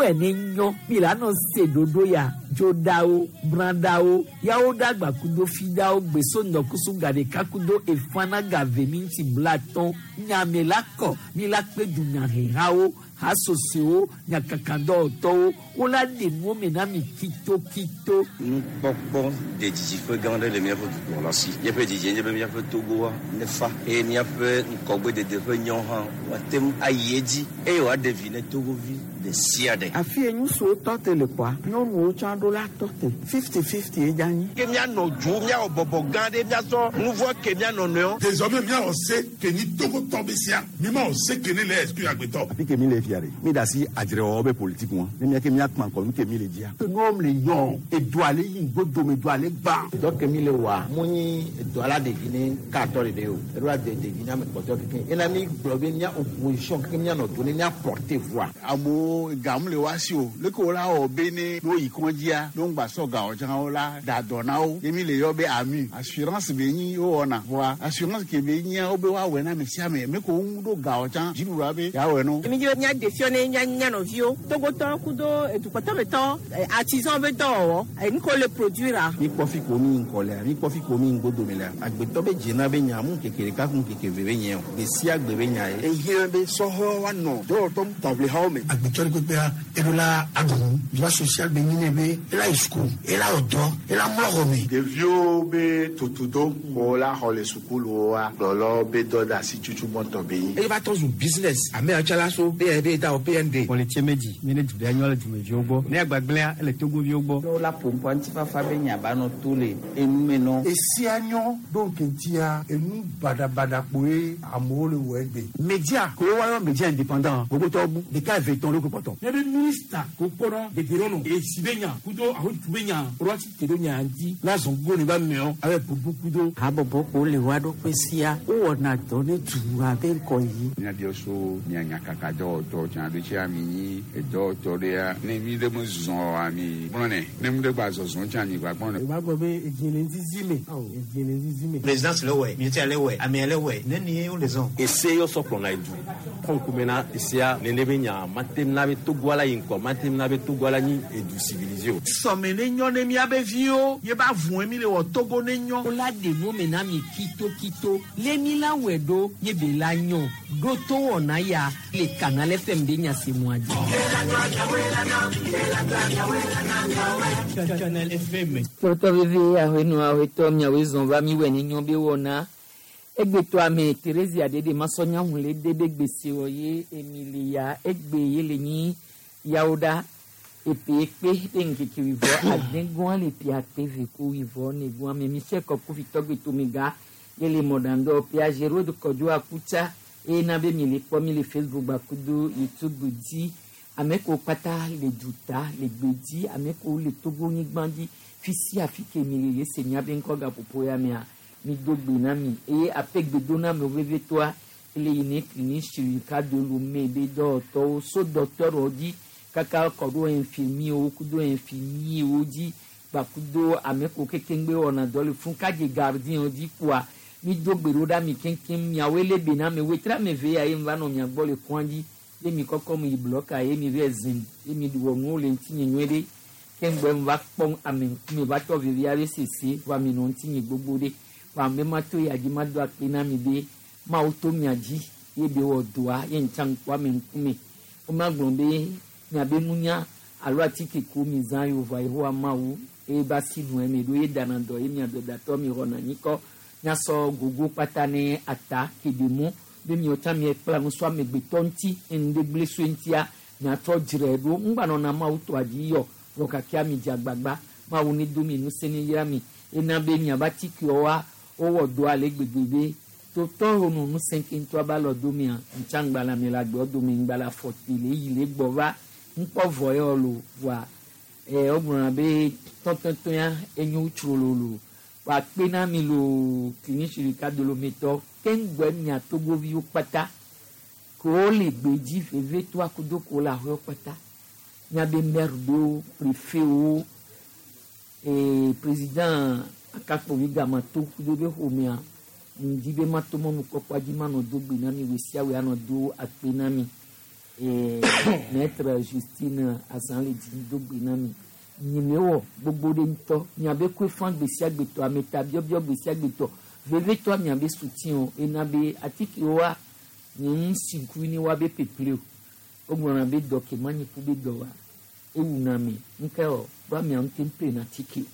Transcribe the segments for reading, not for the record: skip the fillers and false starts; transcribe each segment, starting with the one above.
Wɛ ne nyɔ mi la nɔ se ɖoɖo ya dzoɖawo brãɖawo yawo ɖagba kudo fiɖawo gbeso ŋdɔkusu gaɖeka kudo efana gave minti blatɔn nyame la kɔ mi la kpe dunyahehawo hasosowo nyakakadɔwɔtɔwo wola ɖe nuwo me na mi kitokito. Nukpɔkpɔ de didiƒe gã aɖe le míaƒe dukplɔla si. Míaƒe didie nye be míaƒe Togoa nefa eye míaƒe ŋgɔgbedede ƒe nyɔ hã woate ŋu ayi edzi eye wòaɖe vi ne Togovi ɖe sia ɖe. Afi ye ŋutsuwo tɔ te le kpɔa, nyɔnuwo tsã ɖo la tɔ te. 50-50 ye dze anyi. Ke míanɔ dzo, míawɔ bɔbɔ gã ɖe, míasɔ nu vɔ̃ ke mía nɔnɔewo. Désormais míawɔ se ke nyi Togotɔ be sia, mímawɔ se ke ne le exclure agbetɔ. Afi ke mi le fia ɖe, mi da asi adzrewɔwɔ be politique ŋua, ne mía ke míakpã ŋkɔ nu ke mi le dzia. Nuwo le yɔ, edoa le yi ŋgodome, edoa le gbã. Dɔ ke mi le wɔa, mu nyi edoa la ɖevi ne katɔ ɖeɖe o, eɖo la de ɖevi ne ame kpɔtɔe kekeŋ. Ena mi gblɔ be mía opposition kekeŋ míanɔ do ne mía porter voix. Amewo gam le woa si o, leke wo la wɔ be ne ne woyi kɔdzia, ne wogba sɔ gawo tsã wo la da dɔ na wo. Ye mi le yɔ be AMU, assurance be nyi wowɔna. Vɔa assurance ke be nyia wo be woawɔe na ame sia ame. Me ko ŋu ɖo gawo tsã dziɖuɖua be yeawɔe no. Mi dzi be míaɖe fiɔ ne mía mía nɔviwo, Togotɔwo kudo edukpɔtɔmetɔwo, artisan be dɔwɔwɔ, enu ke wole produire. Mi kpɔ fi ko mi ŋkɔ lea, mi kpɔ fi ko mi ŋgodome lea. Agbetɔ be dzena be nya mu ŋkeke ɖeka ku ŋkeke ve be nye o. Gbe sia gbe be nya ye. Ehiã be sɔhɛwo woanɔ dɔwɔtɔ taʋlihawo me. Agbetɔ ɖe kpekpea, eɖo la aɖu nu. Droit social be nyi nɛ be ela yi suku, ela wɔ dɔ, ela mlɔ xɔ me. Ɖeviwo be tutudo ko la xɔ le sukuluwoa, kplɔlawo be dɔdeasi tutu gbɔtɔ be nyi. Eye va trɔ zu business. Ame yawo tsã la so BND da wɔ PND. Xɔ le tse me dzi, mi ne du ɖe nyɔ le dumeviwo gbɔ. Ne agbagblẽa, ele Togoviwo gbɔ. Ne wola ƒo ŋkɔ ŋutifafa be nya ba nɔ to le enume nɔ. Esia nyɔ ɖo ŋkeŋtia, enu baɖabaɖa kpoe amewo le wɔ egbe. Media ko woayɔ media indépendant gbogbotɔwo bu ɖeka eve tɔn ɖo kpɔtɔ. Ne be minista ko kpɔnɔ dedienɔnɔ esi be nya kudo ahotu be nya ɖo asi te ɖo nya ŋuti la zɔn go ne ba meɔ abe bubu kudo. Habɔbɔ ko le woa ɖokui sia wowɔna dɔ ne dua be ŋkɔ yi. Míabiɔ so mía nyakaka dɔwɔtɔ tsã ɖo tsi ami nyi edɔwɔtɔ ɖea ne mi ɖe me zɔ ami gblɔ nɛ ne mi ɖe gba zɔzɔ tsã mi gba gblɔ nɛ. O b'a gbɔ be edzi le zizi me. Edzi le zizi me. Présidence le wɛ, militaire le wɛ, armée le wɛ, ne ni wo le zɔn. Ese yɔ sɔ kplɔna edu. Kɔn kume na esea nene be nya matem na be Togo la yi ŋkɔ matem na be Togo la nyi edu civilisé o. Sɔme ne nyɔ ne míabe viwo ye ba vɔe mi le wɔ Togo ne nyɔ. Wola ɖe nuwo me na mi kitokito le mi la wɔe ɖo ye be la nyɔ ɖo to wɔna ya le Canal FM be nya se mua dzi. Canal FM. Tɔtɔ veve ahɔenu ahɔetɔ miawoe zɔn va mi wɔ ne nyɔ be wɔna. Egbetɔ ame Theresia ɖeɖe masɔnya ŋu le de be gbese wɔ ye Emilia egbe ye le nyi yawo ɖa. Epe ekpe be ŋkeke wivɔ adegɔa le pia akpe ve ko wivɔ negɔa me Michel Kɔkufi tɔgbe tomiga ye le mɔɖaŋdɔ pia Géraud Kɔdzo Akutsa eye na be mi le kpɔ mi le Facebook gbakudo YouTube dzi. Ame kewo kpata le duta le gbedzi, ame kewo le Togo nyigba dzi fi sia fi ke mi le le se miabe ŋkɔ gaƒoƒo ya mea mi do gbe na mi eye aƒe gbedoname vevitɔa ele yi ne clinique chirurgicale de Lomé be dɔwɔtɔwo so docteur dzi kaka kɔ ɖo infirmier kudo infirmier dzi gbakudo ame kewo kekeŋgbe wɔna dɔ le fún kadze gardien dzi kpoa mi do gbe ɖo ɖa mi keŋkeŋ miawoe le be na me wetra me ve ya ye mi va nɔ mia gbɔ le kɔa dzi ye mi kɔkɔ mi yi blɔka ye mi va zim ye mi wɔ nuwo le ŋutinye nyuie ɖe keŋgbɛ mi va kpɔ ame ŋkume va tɔ vevi aɖe sese va mi nɔ ŋutinye gbogbo ɖe va ame ma to ya dzi ma do akpe na mi be mawo to mia dzi ye be wɔ dɔa ye ŋtsa ŋkpɔ ame ŋkume woma gblɔ be miabe nunya alo atike ko mi zã yi vɔa Yehowa Mawu eye ba si nu eme ɖo ye dana dɔ ye mia dɔdatɔ mi xɔna nyikɔ miasɔ gogo kpata ne ata keɖe mɔ be miawo tsã miekpla nu so amegbetɔ ŋuti enu ɖe gblẽ so ŋutia miatrɔ dzrae ɖo ŋgbanɔna Mawu tɔa dzi yɔ vɔ kakia mi dze agbagba Mawu ne do mi ŋusẽ ne yra mi ena be miabe atikewoa wowɔ dɔ ale gbegbe be totɔ nu ŋusẽ ke ŋutɔ ba lɔ domea ŋutsa ŋgbala mi le agbewo dome ŋgbala fɔti le yi le gbɔ va ŋkpɔ vɔ yɔ lo vɔa wogblɔna be tɔtɔtɔya enyo tsrololo wa kpe na mi lo clinique chirurgicale de Lomé tɔ keŋgbɛ mia Togoviwo kpata ko le gbedzi vevetɔa kudo ko le aƒewo kpata miabe maire ɖewo préfet-wo président akakpovi gamato kudo be ƒomea ŋdi be mato mɔnukpɔkpɔa dzi manɔ do gbe na mi we sia we anɔ do akpe na mi. Maître Justine Azan le dzi do gbe na mi. Nyime wɔ gbogbo ɖe ŋutɔ. Miabe koe fã gbe sia gbe tɔ, ameta biɔbiɔ gbe sia gbe tɔ. Vevetɔ miabe soutien o. Ena be atikewoa, nye ŋu si ŋkuvi ne woabe ƒeƒle o. Wogblɔna be dɔ ke ma nyi ku be dɔ wa. Ewuna ame. Ŋke wɔ, ɖo amea ŋute ƒlena atike o.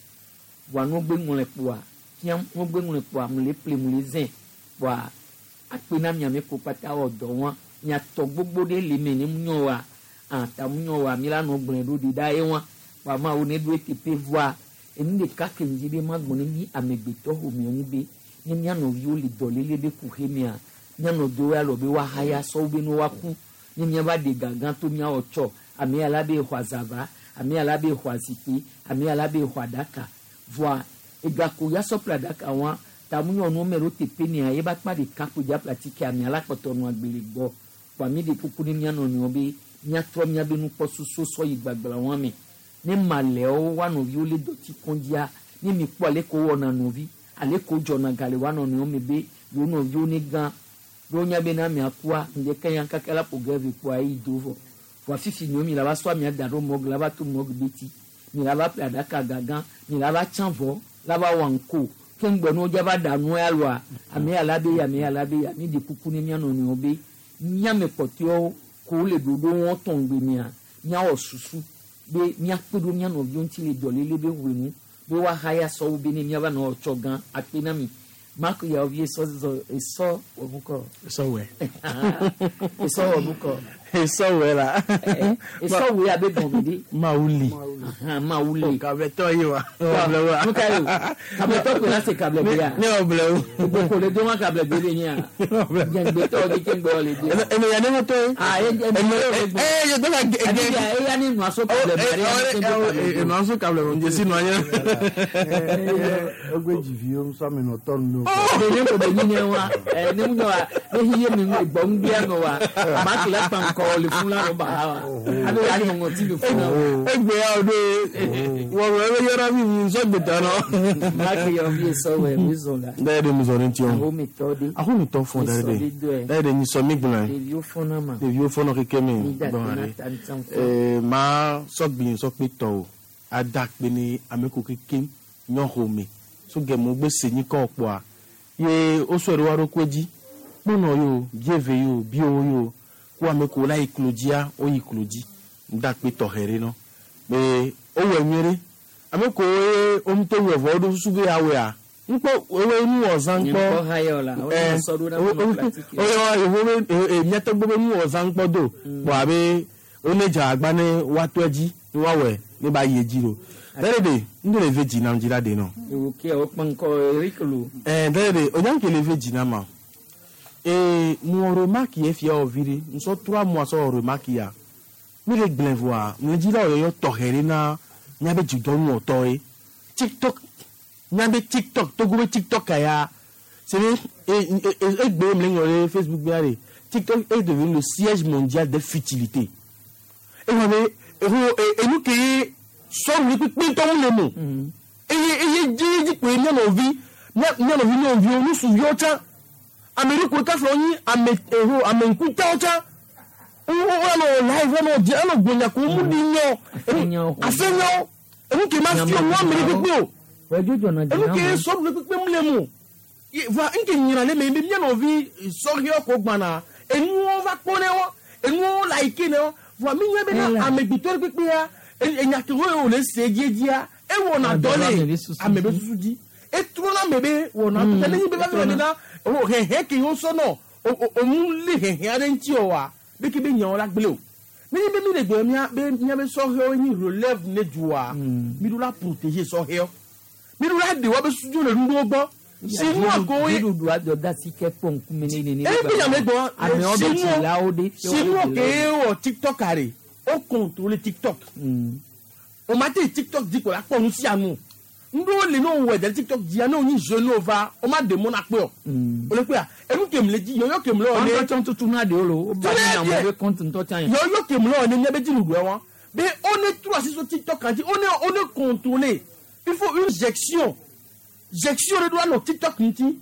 Vɔa ne wogbe ŋlɔe kpoa, fiam, ne wogbe ŋlɔe kpoa, mu le ƒle, mu le zẽ. Kpoa, akpe na miame ko kpata wɔ dɔ wa. Miatɔ gbogbo ɖe le eme ne mu nyɔ wa. Ta mu nyɔ wa, mi la nɔ gblɔe ɖo ɖi ɖa ye wa. Kpoa Mawu ne ɖo eteƒe vɔa, enu ɖeka ke ŋdi be magbɔ ne mi amegbetɔ ƒomewo ŋu be, ne mía nɔviwo le dɔléle be kuxe mea, mía nɔviwo ya lɔ be woahaya sɔwo be ne woaku. Ne míava ɖe gagã to míawɔ tsɔ, ame ya la be exɔ azava, ame ya la be exɔ azikpui, ame ya la be exɔ aɖaka. Vɔa, egako ya sɔ ƒle aɖaka wa, ta mu nyɔnuwo me ɖo teƒe nea, ye be akpa ɖeka kpo dza ƒle atike amea la kpɔtɔ nɔ agbe le gbɔ. Kpoa mi ɖe kuku ne mía nɔnɔewo be míatrɔ míabe nukpɔsusu sɔ yi gbagbla wa me. Ne malɛwo woa nɔviwo le dɔti kɔndzia, ne mi kpɔ ale ke wowɔna nɔvi, ale ke wodzɔna ga le woa nɔnɔewo me be yewo nɔviwo ne gã. Ɖo wonya be ne amea kua, ŋdeke ya kaka la ƒo ge ve kpoa eyi do vɔ. Vɔa fifi nyo mi la va sɔ amea da ɖo mɔg la va to mɔg beti. Mi la va ƒle aɖaka gagã, mi la va tsã vɔ, la va wɔ ŋko. Ke ŋgbɔ ne wodza va ɖa nua ya loa, ame ya la be ya, ame ya la be ya. Mi ɖe kuku ne mía nɔnɔewo be míame kpɔtɔewo ko wole ɖoɖo wɔm tɔ ŋgbe mea, míawɔ susu be míakpe ɖo mía nɔviwo ŋuti le dɔléle be ʋue nu be woahaya sɔwo be ne míava nɔ tsɔ gã akpe na mi. Marc Yaovi esɔ zɔ esɔ wɔ nukɔ. Esɔ wɛ. Esɔ wɔ nukɔ. Esɔ wɛ la. Esɔ wɛ abe gɔme ɖe. Mawuli. Mawuli. Kabletɔ ye wa. Ɔblɛ wa. Nu ka ye o? Kabletɔ ko la se kable gbe ya. Ne ɔblɛ o. Gboko le do ma kable gbe le nyia. Jɛngbetɔ de ke ŋgbɔ le do. Eme ya ne tɔ ye. Ah e e e ye do ka ge. Adi ya e ya ne nua so kable gbe. E nua so kable gbe njesi nua nye. Egbe dziviwo ŋusɔ mi nɔ tɔ nu. Ne ko be nyinye wa. Ne mu wa ne hiye mi gbɔ ŋgbea nɔ wa. Marc la kpa ŋkɔ le fun la nɔ ba ha wa. Abe ya nyɔ ŋɔti le fun la. Egbe ya o de. Wɔwɔ ebe yɔrɔ mi mi ŋusɔ gbetɔ nɔ. Marc Yaovi esɔ wɛ mi zɔn la. Dɛ de mi zɔn ne tiɔ. Ahometɔ de. Ahometɔ fɔn dɛ de. Dɛ de nyisɔ mi gblɔ. Ɖeviwo fɔna ma. Ɖeviwo fɔnɔ keke mi. Mi da Bɔn na are. ta ŋuti fɔ. Ma sɔgbi sɔkpe tɔ o. Ada kpe ne ame ko keke nyɔxɔ me. So gɛmɔ gbe se nyi kɔ kpɔa. Ye wosɔe ɖe wa ɖokui dzi. Kponɔ yo, bieve yo, biowo yo. Ko ame ko la yi klo dzia, woyi klo dzi. Da kpe tɔxɛ ɖe nɔ. Be wowɔe nyuie ɖe. Ame ko ye woŋutɔ wɔe vɔ woɖo susu be yeawɔea. Ŋkpɔ woe nuwɔzã Nye ŋkpɔ. ŋkɔ ha yɔ la. Wo ne sɔ ɖo na nɔ pratique. Oyɔ yewo be míatɔgbe be nuwɔzã ŋkpɔ do. Kpɔ abe wone dze agba ne woatɔ edzi ne woawɔe ne ba yi edzi ɖo. Dɛ ɖe ŋɖe le ve dzi nam dzi la ɖe nɔ. Ewo ke wokpɔ ŋkɔ Eric lo. Dɛ ɖe onyanke le ve dzi nam ma. Mu remarque ye fia wɔ vi ɖe ŋusɔ 3 mois sɔ wɔ remarque ya. Mi le gblẽ vɔa mle dzi la wɔyɔyɔ tɔxɛ ɖe na míabe dzidɔnuwɔtɔ ye. TikTok míabe TikTok Togo be TikTok ya. C'est vrai, et me le Facebook be aller. TikTok est devenu le siège mondial des futilités. Et vous avez, et nous qui sommes les plus petits le mot. Et dit que nous avons vie, nous avons vie, nous avons nous souvions ça. Amérique ko ka flo ni ame eho ame nkuta ocha. O o live on dit on gbonya ko mu di nyo. Afenyo. Et nous qui m'a fi moi Amérique ko. Wɛ jojo na Et nous qui sommes les plus petits le mot. Va nke nyina le me mi no vi sori ko gbana enu o va pone o enu o like ne o va mi nyo be na amegbetɔ pepe ya enya ke o le se die dia e wo na dole ame be susu di e tro na me be wo na to ne be va na o he he ke yo so no o mu le he he are nti o wa be ke be nya o la gbele o mi be mi le gbe mi be mi be sori o ni relève ne dua mi do la protéger sori o mi do la de wa be susu le ndu gbɔ. Sinon, Dziɖuɖu adɔ da si ke kpɔ ŋkume ne nene. E bi ame gbɔ. Amewo be dzilawo ɖe. Sinon ke wɔ TikTok are, o contrôler TikTok. O ma te TikTok di ko la kpɔ nu sia nu. Ŋɖewo le ne wowɔ ɖe TikTok dzia ne wonyi jeune wo va, o ma ɖe mɔ na kpe o. O le kpea, enu ke mle dzi, yɔyɔ ke mle wɔ ne. Ŋutɔ tsɔ tutu na ɖewo lo, wo ba ne amewo be compte ŋutɔ tsã yi. Yɔyɔ ke mle wɔ ne míabe dziɖuɖua wa. Be on est trop assis sur TikTok dzi, on est contrôlé. Il faut une gestion. Gestion de doit no TikTok ŋuti.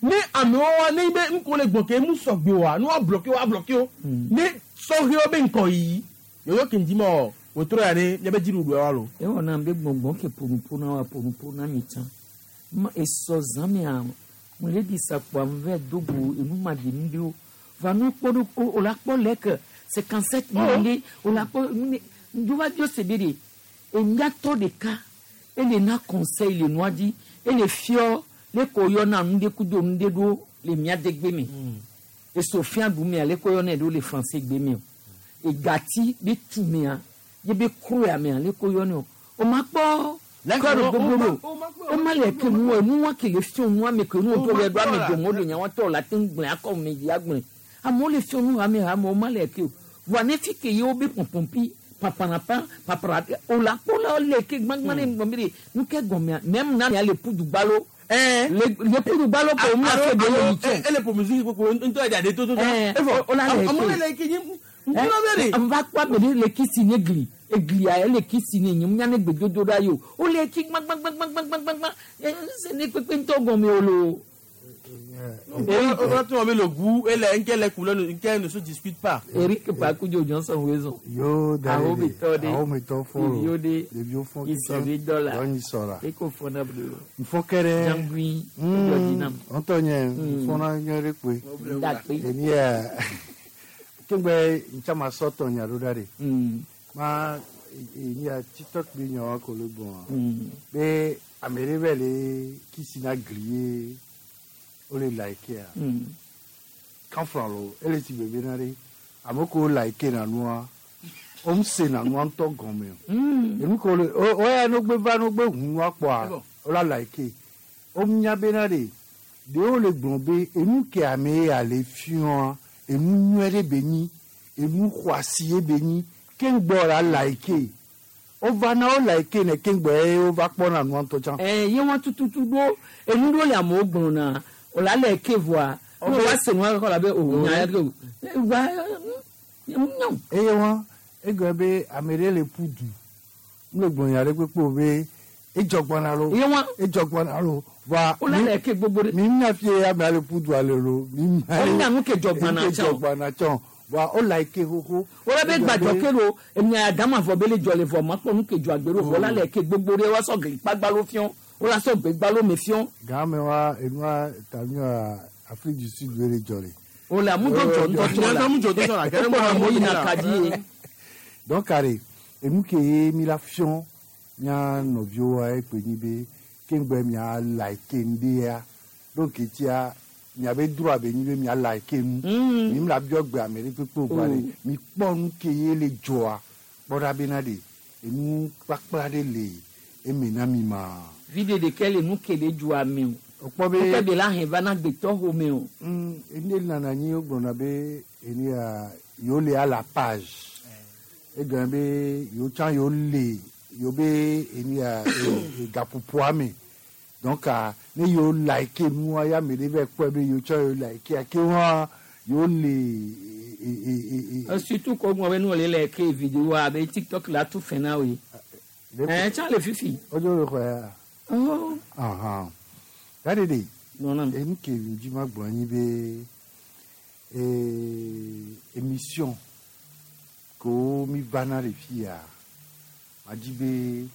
Ne amewo wa ne be ŋko le gbɔn ke mu sɔgbe wa, ne wa bloqué wa bloqué o. Ne Sɔhɛwo be ŋkɔyiyi yɔyɔ ke ŋdi ma wɔ wòtrɔ ya ne míabe dziɖuɖua wa lo. Ewɔ nam be gbɔngbɔn ke ƒonuƒo na wa ƒonuƒo na mi tsã. Ma esɔ zã mea mo le ɖi sa kpoa ŋvɛ do go enu ma ɖi nu ɖewo. Va nu kpɔ ɖo o la kpɔ lɛ ke 57 mille o la kpɔ nu ne ŋdo va biɔ se be ɖe emiatɔ ɖeka ele na conseil le nua dzi ele fiɔ le ko yɔna nu ɖe kudo nu ɖe ɖo le mia degbe me. Eso fia ɖu mea le ko yɔnɛ ɖo le français gbe me o. Egati be tu mea ye be kroya mea le ko yɔnɛ o. O ma kpɔ kɔri gbogbo ɖo o ma le ke nu enu wa ke le fiɔ nua me ke nu to le ɖo ame dome o le nya wa tɔ la te ŋu gblẽ akɔ me dzi agblẽ. Amewo le fiɔ nu hame hame o ma le ke o. Voa ne fi ke ye wo be pɔnpɔnpi papanapa papara o la kpɔ la le ke gbãgbã ne ŋgɔme ɖe nu ke gɔmea mɛm na ya le pudu gbalo. Le pudu gbalo ko o ma se de le yi tsɛ. Ele ƒo musique kpokpo ŋutɔ ya ɖe toto. Evɔ o la le ke. Amewo le ke nye ŋutɔ bɛ de. Va kpɔ ame ɖe le kisi ne gli eglia ele kisi ne nye nya ne gbedodo ɖa yi o. O le ki gbãgbãgbãgbãgbãgbã se ne kpekpe ŋutɔ gɔme o lo. O tún le goût et les les couleurs ne se discutent pas. Eric Pakujo Johnson Wezo. Yo Aho mi tɔ de. Aho mi tɔ fɔ Ɖeviwo de. Ɖeviwo fɔ Isɔ bi dɔ la. Dɔ sɔ la. Eko fɔna blo. Nfɔ kɛrɛ. Jangui. Edɔ dzi nam. Ŋutɔ nye nfɔna nyɔ ɖe kpoe. Dakpe. Eni yɛ kengbe ntsama sɔtɔ nya ɖo ɖa de. Ma eni ya TikTok bi nya wa ko le gbɔn. Be ame ɖe bɛ le kisi na gli ye o le like ya. Kanfra lo ele ti bebe na ɖe ame ko like na nua o m se na nua ŋutɔ gɔme o. Enu ko le o o ya no gbe va no gbe hu nua kpɔa o la like o nya bena ɖe ɖewo le gblɔ be enu ke ame ya le fiɔa enu nyuie ɖe be nyi enu xɔasi ye be nyi keŋgbɔ la like o va na o like ne keŋgbɔ ye o va kpɔna nua ŋutɔ tsã. Ye wɔn tututu ɖo enu ɖo le amewo gblɔ na o la le ke voa o wa se nua kɔ la be o nya ya ke o wa nya. Eye wɔn egblɔ be ame ɖe le ƒu du n le gblɔ nya ɖe kpekpe o be edzɔ gbɔna lo. Ye wɔn edzɔ gbɔna lo wa o la le ke gbogbo ɖe. Mi nya fie amea le ƒu dua le lo. Mi nya O nya nu ke dzɔ gbɔna ke dzɔ gbɔna tsɔ wa o like xoxo. O la be gbadzɔ ke lo enya dama vɔ be le dzɔ le vɔ ma kpɔ nu ke dzɔ agbe ɖo vɔ la le ke gbogbo ɖe wa sɔ gli kpagba lo fiɔ o la sɔ gbegba lo me fiɔ. Game wa enua tamiwa Afrique du Sud le dzɔ le. O la mu dzɔ ŋutɔ tsɔ la Mu dzɔ ŋutɔ tsɔ la. E kpɔ amewo yina ka dzi ye. Donc are enu ke ye mi la fiɔ mía nɔviwoa ekpe nyi be keŋgbɛ mia like ŋɖea donc etia miabe droit be nyi be mia like nu. Mi la biɔ gbe ame ɖe kpekpe o gba ɖe mi kpɔ nu ke ye le dzɔa kpɔ ɖa bena ɖe enu kpakpla ɖe le eme na mi ma. Viɖe ɖeke le nu ke le dzɔa me o. O kpɔ be Nu ke be la hɛn va na gbetɔ xɔme o. Ene nana anyi wo gblɔna be eni ya yewo le à la page. Egblɔ be yewo tsã yewo le yewo be eni ya gaƒoƒoa me. Donc ne yewo like nua ya ame ɖe va kpɔe be yewo tsã yewo like ke hã yewo le. Surtout ko ŋgɔ be nu le le ke vidéo abe TikTok la tu fɛn na wo ye. Tsã le fifi. O dzo le xɔ ya. Oh. Ahan. Dadi de. Nɔnɔ. Enu ke dzi ma gblɔ anyi be émission ko mi va na le fia ma dzi be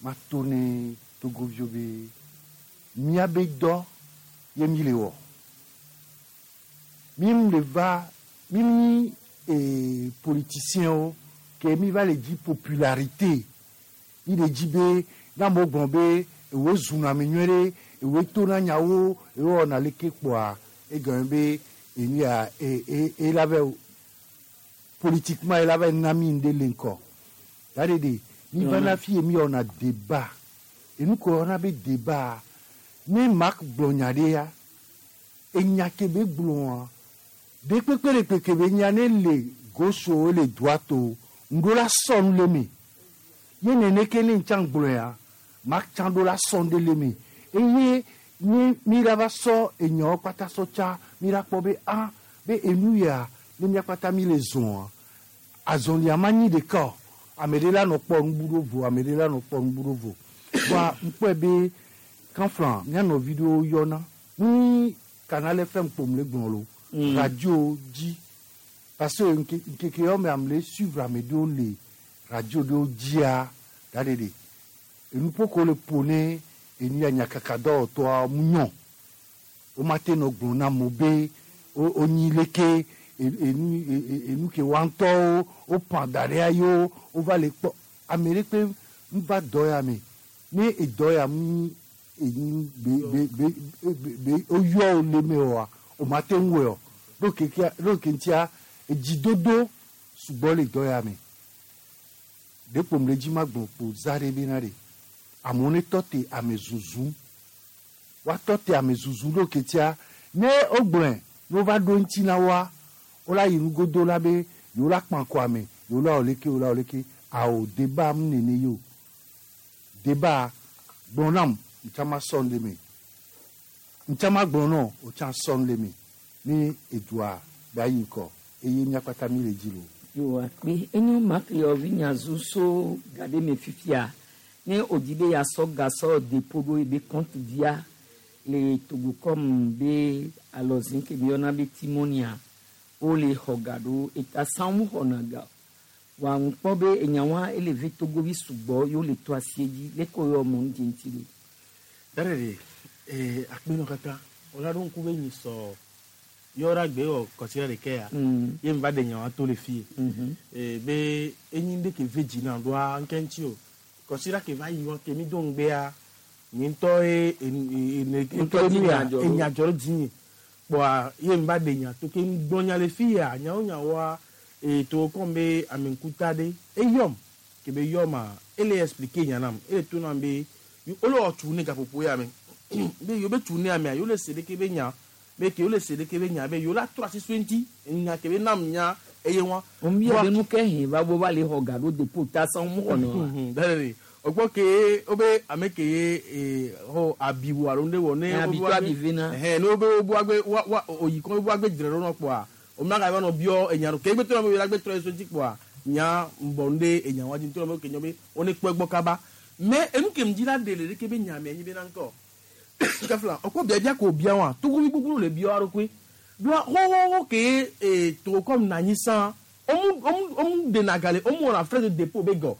ma to ne Togoviwo be míabe dɔ ye mi le wɔ. Mi le va mi nyi politiciens ke mi va le dzi popularité mi le dzi be ne amewo gblɔ be ewo zuna ame nyuie ɖe ewo tona nyawo ewo wɔna leke kpoa egɔme be enu ya e la vɛ politiquement ela va na mi ŋɖe le ŋkɔ tari de mi va na fi ye mi wɔna débat enu ko wɔna be débat ne Marc gblɔ nya ɖe ya enya ke be gblɔa ɖe kpekpe ɖe kpekpe be nya ne le gauche o le droite o ŋɖo la sɔ nu le me ye nene ke ne ŋtsã gblɔ ya Marc tsã ɖo la sɔ nu ɖe le me eye ne mi la va sɔ enyawo kpata sɔ tsa mi la kpɔ be ah be enu ya ne miakpata mi le zɔa azɔlia ma nyi ɖeka o ame ɖe la nɔ kpɔ nubu ɖo vo ame ɖe la nɔ kpɔ nubu ɖo vo wa ŋkpɔe be kanflan mía nɔvi ɖewo yɔna ni Canal FM kpom le gblɔ lo radio dzi Parce que ŋkeke yawo me ame le suivre ame ɖewo le radio ɖewo dzia da ɖeɖe. Enuƒo ke wole ƒo ne enu ya nyakakadɔwɔtɔa mu nyɔ. Womate nɔ gblɔ na amewo be wonyi leke enu enu ke woa ŋutɔwo woƒã da ɖea ye wova le kpɔ. Ame ɖe kpe ŋva dɔ ya me. Ne edɔ ya mu nyi enu be be be be woyɔ wo le eme oa, womate ŋu wɔe o. Ɖo kekea ɖo ke ŋutia edzidodo sugbɔ le dɔ ya me. Ɖe kpo mle dzi magblɔ kpo za ɖe bena ɖe amewo ne tɔ te ame zuzu. Woatɔ te ame zuzu ɖo ke tia ne wogblɔe ne wova ɖo ŋuti na woa, wola yi nugodo la be yewo la kpã kɔ ame, yewo la wɔ leke, yewo la wɔ leke. Ao deba mu nene ye o. Deba gblɔ nam ŋtsa ma sɔ nu le me. Ŋtsa ma gblɔ nɔ wòtsã sɔ nu le me. Ne edua be ayi ŋkɔ eye míakpata mi le dzi lo. Yo akpe enyo makliɔvi nyazu so ga ɖe me fifia ne wòdi be yeasɔ ga sɔ dépôt ɖo ebe compte dzia le Togocom be alɔzi ke mi yɔna be Timonia wole xɔ ga ɖo eta sãwo mu xɔna ga o. Wa ŋu kpɔ be enyawoa ele ve Togovi sugbɔ ye wole to asie dzi leke woyɔ mɔ nu dze ŋuti ɖo. Ɖaɖeɖe ee akpenɔ katã wòla ɖo ŋku be nyi sɔ yɔra gbe wɔ kɔsia ɖeke ya ye mi va ɖe nyawa to le fie ee be enyi ɖe ke ve dzi na ɖoa ŋke ŋuti o kɔsia ke va yi wa ke mi do ŋgbea nye ŋutɔ ye ene Ŋutɔ dzi enu ya nya dzɔ ɖo. enya dzɔ ɖo dzinye kpɔa ye mi va ɖe nya to ke ŋgbɔ nya le fi ya nyawo nyawoa ee to kɔm be ame ŋkuta ɖe eyɔm ke be yɔma ele expliquer nya nam ele to nam be wole wɔ tu ne gaƒoƒo ya me be yewo be tu ne amea yewo le se ɖeke be nya be ke yewo le se ɖeke be nya be yewo la trɔ asi so eŋuti nya ke be nam nya eye wa. Wombiɔ be nu ke hɛn va bo va le xɔ ga ɖo dépôt ta sãwo mu xɔna oa. Ɖaɖeɖe o gbɔ ke wobe ame ke ye ee xɔ abiwo alo ŋɖe wɔ ne. Eh, abi to abi ve na. Ɛhɛn ne wobe wobu agbe wa wa oyi kɔ wobu agbe dzre ɖo nɔ kpɔa o ma ga va nɔ biɔ enya ɖo ke egbe trɔ be la gbe trɔ ye so ŋuti kpɔa nya ŋbɔ ŋɖe enya wa dzi ŋutɔ be ke nyɔ be wo ne kpɔ egbɔ kaba mais enu ke ŋdzi la ɖe le ɖeke be nya me nyi be na ŋkɔ kafla ɔkɔ biabia ko bia wa togovi gbogbo le bia wa ɖokui doa xoxoxo ke ee Togocom na anyi sã omu omu omu ɖena ga le omu wɔna frais de dépôt be gɔ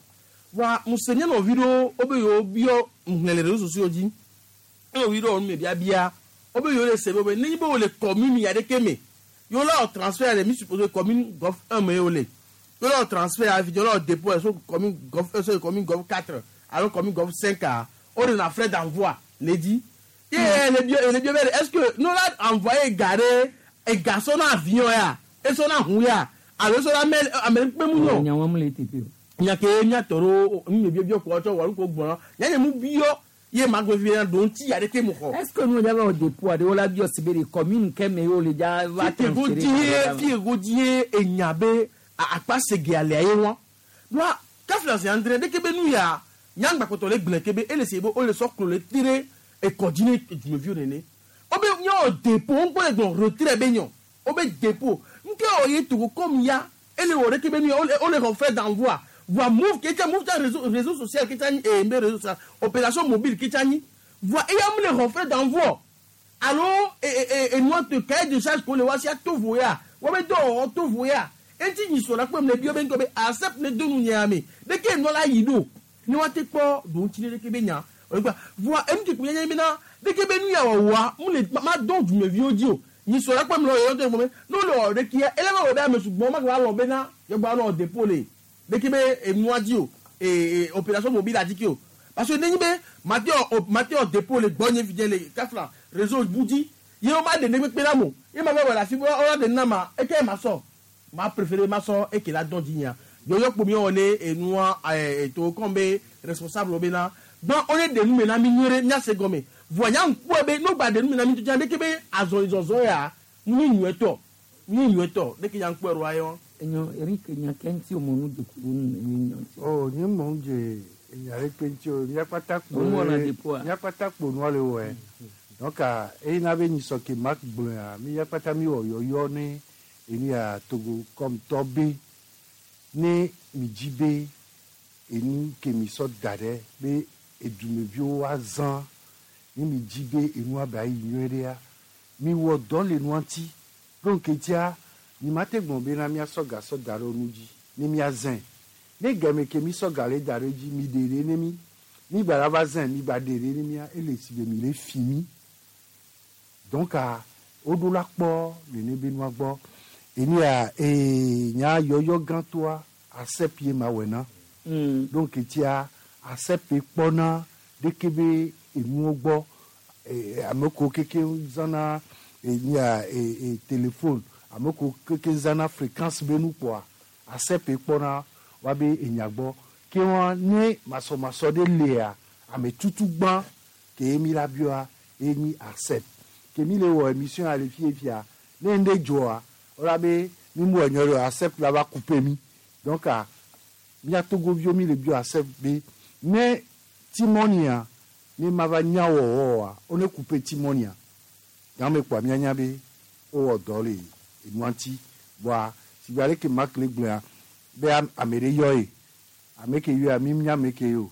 wa musenye nɔvi ɖewo wobe yewo biɔ ŋhlẽ le réseaux sociaux dzi eye nɔvi ɖewo nu me biabia wobe yewo le se be be nenye be wole commune ya ɖeke me yewo la wɔ transfert le mi suppose commune Golfe 1 me ye wole yewo la wɔ transfert afi yewo la wɔ dépôt so commune Golfe 1 so commune Golfe 4 alo commune Golfe 5 a wo ɖena frais d'envoi le dzi ye ele biɔ ele biɔ be est ce que ne la envoyé ga ɖe ega sɔ na avion ya esɔ na ʋu ya alo esɔ na mɛ ame kpe mu nyɔ Nyawo mu le teƒe o. nya ke miatɔ ɖo nu me biɔbiɔ kɔ tsɔ wɔlu ko gbɔna nya nye mu biɔ ye ma gbe fi na ɖo ŋuti ya ɖeke mu xɔ. Est ce que nu dza va wɔ dépôt aɖe wola biɔ si be de commune ke me ye wole dza va fi go transférer die ga ɖe fi go die enya be akpa sege alea ye wa wa kafla zi andre ɖeke be nu ya nyagbakpɔtɔ le gblẽ ke be ele se be wole sɔ klo le te ɖe ekɔdzi ne dumeviwo nene wobe nye wɔ dépôt ŋkɔ le gblɔ retrait be nyɔ wobe dépôt nke wɔ ye Togocom ya ele wɔ ɖeke be nu ya wole wole xɔ frais d'envoi voa Moov ke tsa Moov tsa réseau social ke tsa nyi ee mbe réseau social opération mobile ke tsa nyi voa eya mu le xɔ frais d'envoi alo enua te cahier de charge ko le wa si ato vo ya wobe dɔ wɔwɔ to vo ya eti nyi sɔ la kpem le biɔ be ŋkɔ be accept ne do nu nyea me ɖeke enua la yi ɖo ne wa te kpɔ ɖo ŋuti ne ɖeke be nya oyigba voa enu ke kpe nye bena ɖeke be nu ya wɔwɔa mu le ma dɔn dumeviwo dzi o nyi sɔ la kpem le yɔ to gbɔme ne wole wɔ ɖekia ele va wɔ be ame sugbɔ ma va lɔ bena yɔgba nɔ dépôt le ɖeke be enua dzi o ee opération mobile adi ke o parce que nenye be mate wɔ mate wɔ dépôt le gbɔ nye fi dze le kafla réseau bu dzi ye wo ma ɖe ne kpekpe la mo ye ma va wɔ le afi wo ɖe nama eke ma sɔ ma préféré ma sɔ eke la dɔn dzi nya yɔyɔ kpomi wɔ ne enua ɛɛ Togocom be responsable wo bena gbɔn wo ne ɖe nu me na mi nyuie ɖe miase gɔme voa nya ŋkpɔe be n'o gba ɖe nu me na mi tutu ɖeke be azɔlizɔzɔ ya nu nyuietɔ nu nyuietɔ ɖeke nya ŋkpɔe ɖoa ye wa. Enyo Eric nya ke ŋuti o mɔ nu de ku ɖo nu ye nya ŋuti. Oh, nye mɔ ŋu dze enya ɖe kpe ŋuti o. Míakpata kpo Wo wɔna dépôt a? Míakpata kpo nua le wɔe. Donc eye na be nyisɔ ke Mark gblɔa, míakpata mi wɔ yɔyɔ ne enu ya Togocom tɔ be ne mi dzi be enu ke mi sɔ da ɖe be edumeviwo azã ne mi dzi be enua be ayi nyuie ɖea mi wɔ dɔ le nua ŋuti ɖo ŋketia Mi ma te gblɔ bena míasɔ ga sɔ da ɖe nu dzi ne míazãe. Ne game ke mi sɔ ga le da ɖe dzi mi ɖe ɖe ne mi mi gba la va zãe mi gba ɖe ɖe ne mía ele si be mi le fi mi. Donc a woɖo la kpɔ nene be nua gbɔ. Enu ya ee nya yɔyɔ gãtɔa ARCEP ye ma wɔe na. Donc tia ARCEP kpɔna ɖeke be enuwo gbɔ ee ame kewo keke zãna enu ya ee téléphone ame kewo keke zãna fréquence be nu kpɔa ARCEP kpɔna woabe enya gbɔ. Ke wɔn ne masɔmasɔ ɖe lia ame tutu gbã ke mi la biɔa ye nyi ARCEP. Ke mi le wɔ émission ya le fie fia ne ŋɖe dzɔa wola be mi mu wɔ nyɔ ɖe o ARCEP la va couper mi. Donc a mía Togoviwo mi le biɔ ARCEP be ne Timɔnia ne ma va nya wɔwɔ oa wone couper Timɔnia. Game kpoa míanya be wowɔ dɔ le enua ŋuti. Vɔa sigbe aleke Mark le gblɔa be ame ɖe yɔ ye. Ame ke yɔa mi nya ame ke ye o.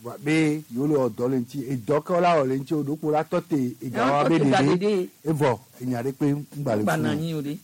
Vɔa be yewo le wɔ dɔ le ŋuti edɔ ke wola wɔ le ŋuti o ɖokpo la tɔ te egawoa be ɖeɖe evɔ enya ɖe kpe ŋgba le Ŋgba funu na o. anyi o ɖe.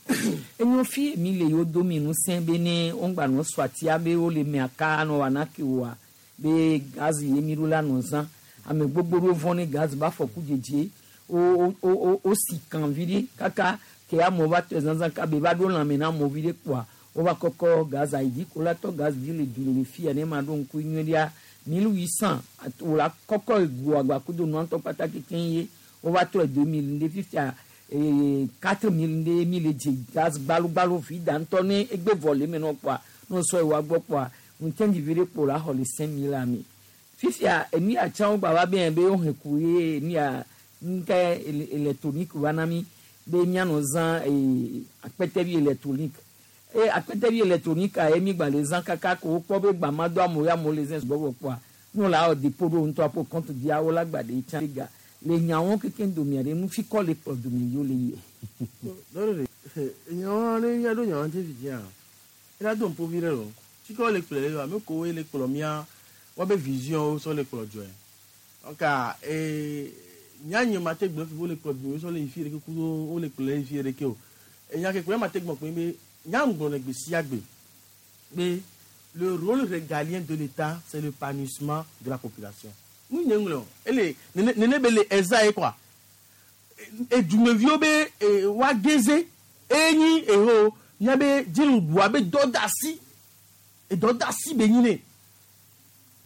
Enyo fi mi le yewo do mi ŋusẽ be ne woŋgba nɔ sɔ atia be wole mea ka nɔ wɔna ke oa be gaz ye mi ɖo la nɔ zã. Ame gbogbo ɖewo vɔ̃ ne gaz ba afɔku dzedze wo wo wo wosi kan vi ɖe kaka ke amewo va tɔe zãzã kabe va ɖo lãme na amewo vi ɖe kpoa wova kɔkɔ gaz ayi dzi ko la tɔ gaz dzi le du le fia ne ma ɖo ŋku nyuie ɖea 1800 wòla kɔkɔ egoa gba kudo nua ŋutɔ kpata kekeŋ ye wova trɔe 2000 ŋɖe fifia ee 4000 ŋɖe mi le dze gaz gbalogbalo vi da ŋutɔ ne egbe vɔ le eme nɔ kpoa ne wosɔ yi woagbɔ kpoa ŋutɛndzi vi ɖe kpo la xɔ le 5000 ame. Fifia enu ya tsã wogba va be be wohe ku ye enu ya ŋkɛ électronique va na mi be míanɔ zã ee akpɛtɛvi électronique. Eye akpɛtɛvi électronique a ye mi gba le zã kaka ko wokpɔ be gba ma do amewo ya amewo le zã sugbɔ vɔ kpoa ne wole awɔ dépôt ɖo ŋutɔ aƒo compte dzia wola gba ɖe tsã ga le nyawo kekeŋ domea ɖe nufikɔ le kplɔ dome yewo le yie. Dɔɖe ɖe nyawo ne míaɖo nyawo ŋuti fi dzia ela do ŋpovi ɖe lo tsike wole kplɔ le ame kowoe le kplɔ mía woabe vision wo sɔ le kplɔ dzɔe donc ee míanye ma te gblɔ fi be wole kplɔ dome sɔ le yi fi ɖeke kudo wole kplɔ le yi fi ɖeke o enya ke kplɔ ma te gblɔ kpe be nyam gblɔ le gbe sia gbe be le rôle régalien de l'État, c'est l'épanouissement de la population. Nous n'y ele nene nene be le eza ye quoi. Edumeviwo be wa geze enyi eho nya be dziɖuɖua be dɔdasi edɔdasi be nyi ne.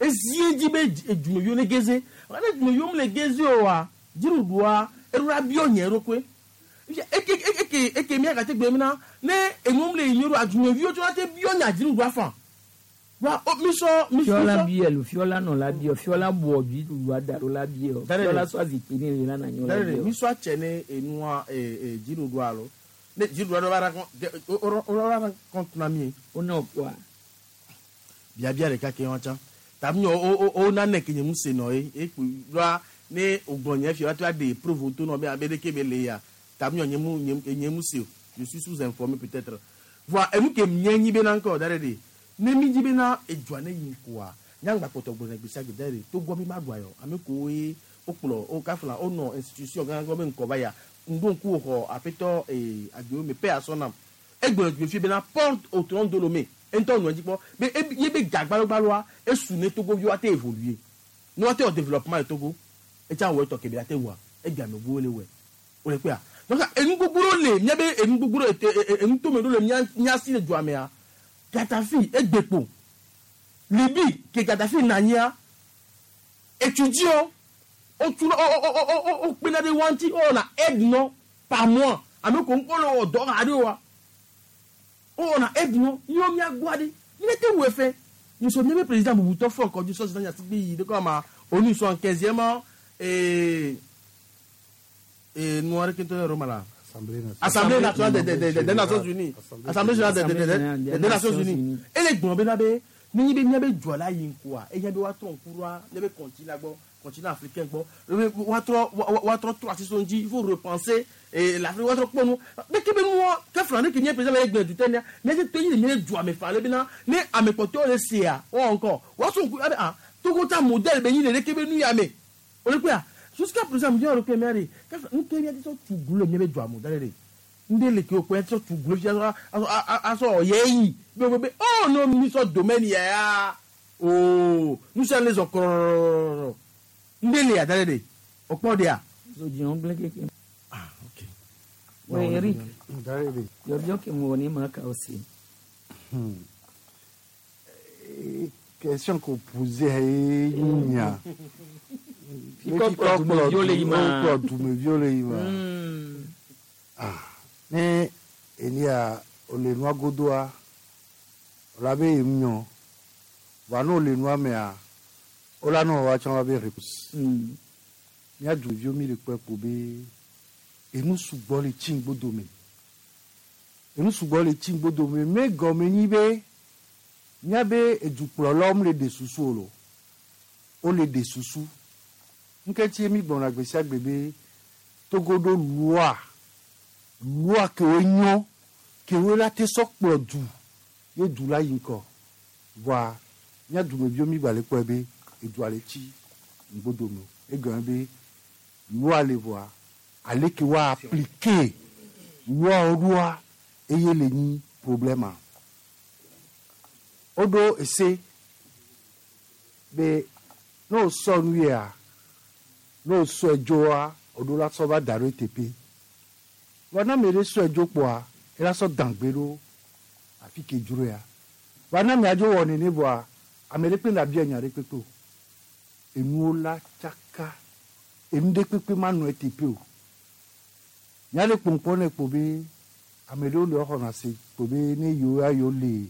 Ezi edzi be edumeviwo ne geze. Ne edumeviwo mele geze o wa dziɖuɖua eɖo la biɔ nye ɖokoe. Eke eke eke mía gate gbe mina ne enuwo mele yi nyuie ɖo edumeviwo tso la te biɔ nya dziɖuɖua fã. Wa o mi sɔ mi Fiɔla sɔ. biɛ lo fiɔla nɔ la biɛ fiɔla bɔ dziɖuɖua da ɖo la biɛ o Dare fiɔla ɖe. sɔ azikpui ne le la na nyɔ la Dare ɖe biɛ o. mi sɔ atsɛ ne enua ee dziɖuɖua lo ne dziɖuɖua ɖo va ra kɔn o o ra kɔn na mi. O na kɔa. Biabia ɖeka ke wɔn tsã tabi o o o nane ke nye mu se nɔ ye ekpu ɖoa ne o gblɔ nye fia wa de preuve to nɔ be abe ɖeke be le ya tabi nye mu nye nye mu se o je suis sous informé peut-être voa enu ke nye nyi be na ŋkɔ da ɖe ɖe ne mi dzi be na edzua ne yi ŋkɔa nyagba kpɔtɔ gblɔ ne gbesia gbe da ɖe togbɔ mi ma ɖua yɔ ame kowoe wokplɔ wo kafla wonɔ institution gã gã be ŋkɔ va ya ŋdo ŋku xɔ aƒetɔ ee agbewo me pe asɔ nam egblɔ gbe fi bena porte au trône de Lomé ŋutɔ nɔ edzi kpɔ be ye be ga gbalogbaloa esu ne Togoviwo ate évoluer ne woate wɔ développement le Togo etsa wɔ etɔ kebe ate wɔa egbe ame gbogbo le wɔe wole kpea donc enu gbogbo ɖewo le mía be enu gbogbo ɖewo ete enu tome ɖewo le mía mía si le dua mea Gaddafi egbekpo Libi ke Gaddafi nɔ anyia étudiants wotu o o o o o wokpena ɖe woa ŋuti wowɔna aide nɔ par mois ame ko ŋkɔ le wɔ dɔ haɖe oa wowɔna aide nɔ míawo míagbɔa ɖe míate te wɔ efe nyisɔ míabe président bubutɔ fɔ kɔdzi sɔ zina nyasigbe yi ɖe kɔ ma onu sɔ quinzième ee ee nua ɖe kentɔ le Roma la. Assemblée Assemblée nationale des Nations Unies. Assemblée générale des Nations Unies. Ele gblɔ bena be nenye be míabe dua la yi ŋkua eye be woatrɔ ŋku ɖoa míabe continent gbɔ continent africain gbɔ ebe woatrɔ woatrɔ trɔ asi so ŋuti il faut repenser et l'Afrique woatrɔ kpɔ nu ɖeke be nua ke fila ne ke nye président la ye gblẽ du te nea míate to nyi le míabe dua me fa ale bena ne ame kpɔtɔewo le sea woawɔ ŋkɔ woasɔ ŋku abe ah Togo ta modèle be nyi le ɖeke be nu ya me wole kpɔa jusqu'à présent míawo ɖokui mía ɖe ke nu ke míate sɔ tu glu le míabe dua me da ɖe ɖe. Nde le ke okpɛ sɔ tu glo fi asɔ asɔ ɔyɛ yi be be oh no mi sɔ domaine yɛ ya ooo nusia le zɔ kɔrɔrɔrɔrɔ nde le ya da de okpɔ de ya. Zodziɔn gblẽ keke. Ah ok. Oui, Eric. Yɔbiɔ ke mu wɔ ne ma ka o se. Question qu'on posait nya. Fikɔ kplɔ dumeviwo le yi ma. Kplɔ dumeviwo le yi ma. Ah, ne elia ole nua godoa, ola be yem nyɔ. Va ne ole nua mea, ola nɔ wa tsã wa be réponse. Mía dumeviwo mi le kpɔe ko be enu sugbɔ le tsi ŋgbodome. Enu sugbɔ le tsi ŋgbodome. Me gɔme nyi be míabe edukplɔlawo le ɖe susu o lo. Wole ɖe susu. Ŋketsi mi gblɔna gbe sia gbe be Togo ɖo loi, loi kewo nyo, kewo la te sɔ kplɔ du ye du la yi ŋkɔ. Voa mía dumeviwo mi gba le kpɔe be edua le tsi ŋgbodome. Egɔme be loi le voa ale ke woa appliquer loi ɖoa eye le nyi problème. Woɖo ese be ne wosɔ nu yia, ne wosɔe dzoa, woɖo la sɔ va da ɖo eteƒe. Vɔ ne ame ɖe sɔe dzo kpoa, ela sɔ dãgbe ɖo afi ke dzro ya. Vɔ ne amea dzo wɔ nene vɔa, ame ɖe kpe la bia nya ɖe kpekpe o. Enuwo la tsaka, enu ɖe kpekpe ma nɔ eteƒe o. Nya ɖe kpɔnkpɔn ne kpo be ame ɖewo le woxɔna se kpo be ne yewo ya yewo le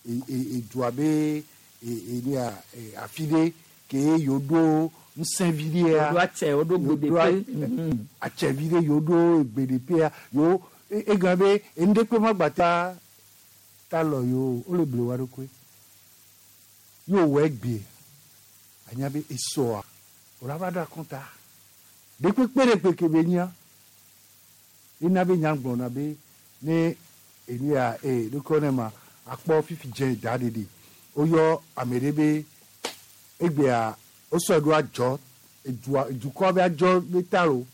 edua be enia afi ɖe ke yewo ɖo ŋusẽ vi ɖea. Woɖo atsɛ, woɖo gbeɖeƒe. Atsɛ vi ɖe yewo ɖo gbeɖeƒea yewo egɔme be enu ɖe kpe ma gba ta ta lɔ yewo wole ble wa ɖokui. Ye wòwɔ egbe anya be esɔa wòla va ɖo akɔnta. Ɖe kpekpe ɖe kpeke be nya ena be nya gblɔna be ne enia ɖokɔ ne ma akpɔ fifi dze da ɖeɖe woyɔ ame ɖe be egbea wosɔe ɖo adzɔ edua dukɔ be adzɔ be ta lo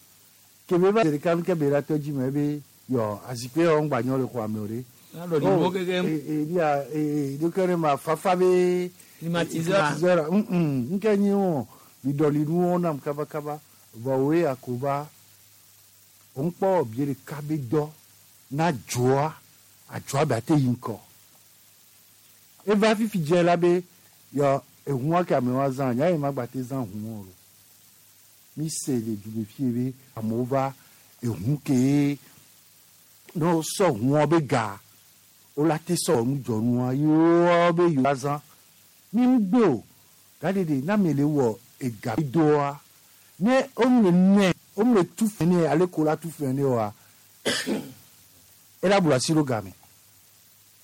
ke be va ɖeka nu ke be la tɔ dzi me be yɔ azikpui yɔ ŋgba nyɔ le xɔa me o ɖe. Alɔ ɖi nuwo kekem. Enia ɖokɔ ne ma fafa be. Climatiseur. Nke nyi wo miɖɔli nuwo nam kabakaba vɔ woe akoba woŋkpɔ bie ɖeka be dɔ na dzoa adzɔa be ate yi ŋkɔ. Eva fifi dze la be yɔ ehua ke amewo azã nya yi ma gba te zã hu o. Mi se le du fie be amewo va ehu ke ne wosɔ hua be ga wola te sɔ nudzɔnua yewoa be yewoa zã. Mi ŋgbe o gaɖeɖe na ame le wɔ ega doa ne womle nɛ womle tu fɛ nɛ ale ko la tu fɛ nɛ oa ela blu asi ɖo game.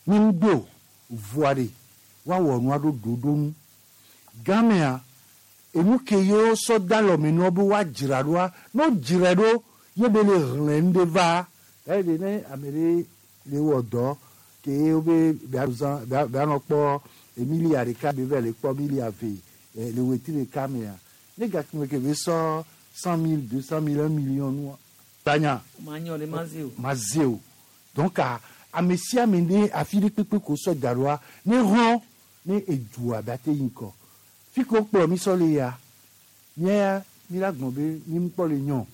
Mi ŋgbe o voa ɖe woawɔ nua ɖo ɖoɖo nu. Gamea enu ke yewo sɔ da lɔme nɔ be woadzra ɖoa ne wodzrae ɖo ye be le hlẽ nu ɖe va gaɖeɖe ne ame ɖe le wɔ dɔ ke wobe bea zã bea nɔ kpɔ emilia ɖeka be va le kpɔ milia ve le wetri ɖeka mea ne gakime ke be sɔ 100 000, 200 000, 1 million nua tanya Ma nyɔ ɖe ma ze o. Ma ze o. Donc ame sia ame ne afi ɖe kpekpe ko sɔ da ɖoa ne hlɔ̃ ne edua be ate yi ŋkɔ. Fi ke wokplɔ mi sɔ le ya mía ya mi la gblɔ be mi ŋkpɔ le nyɔ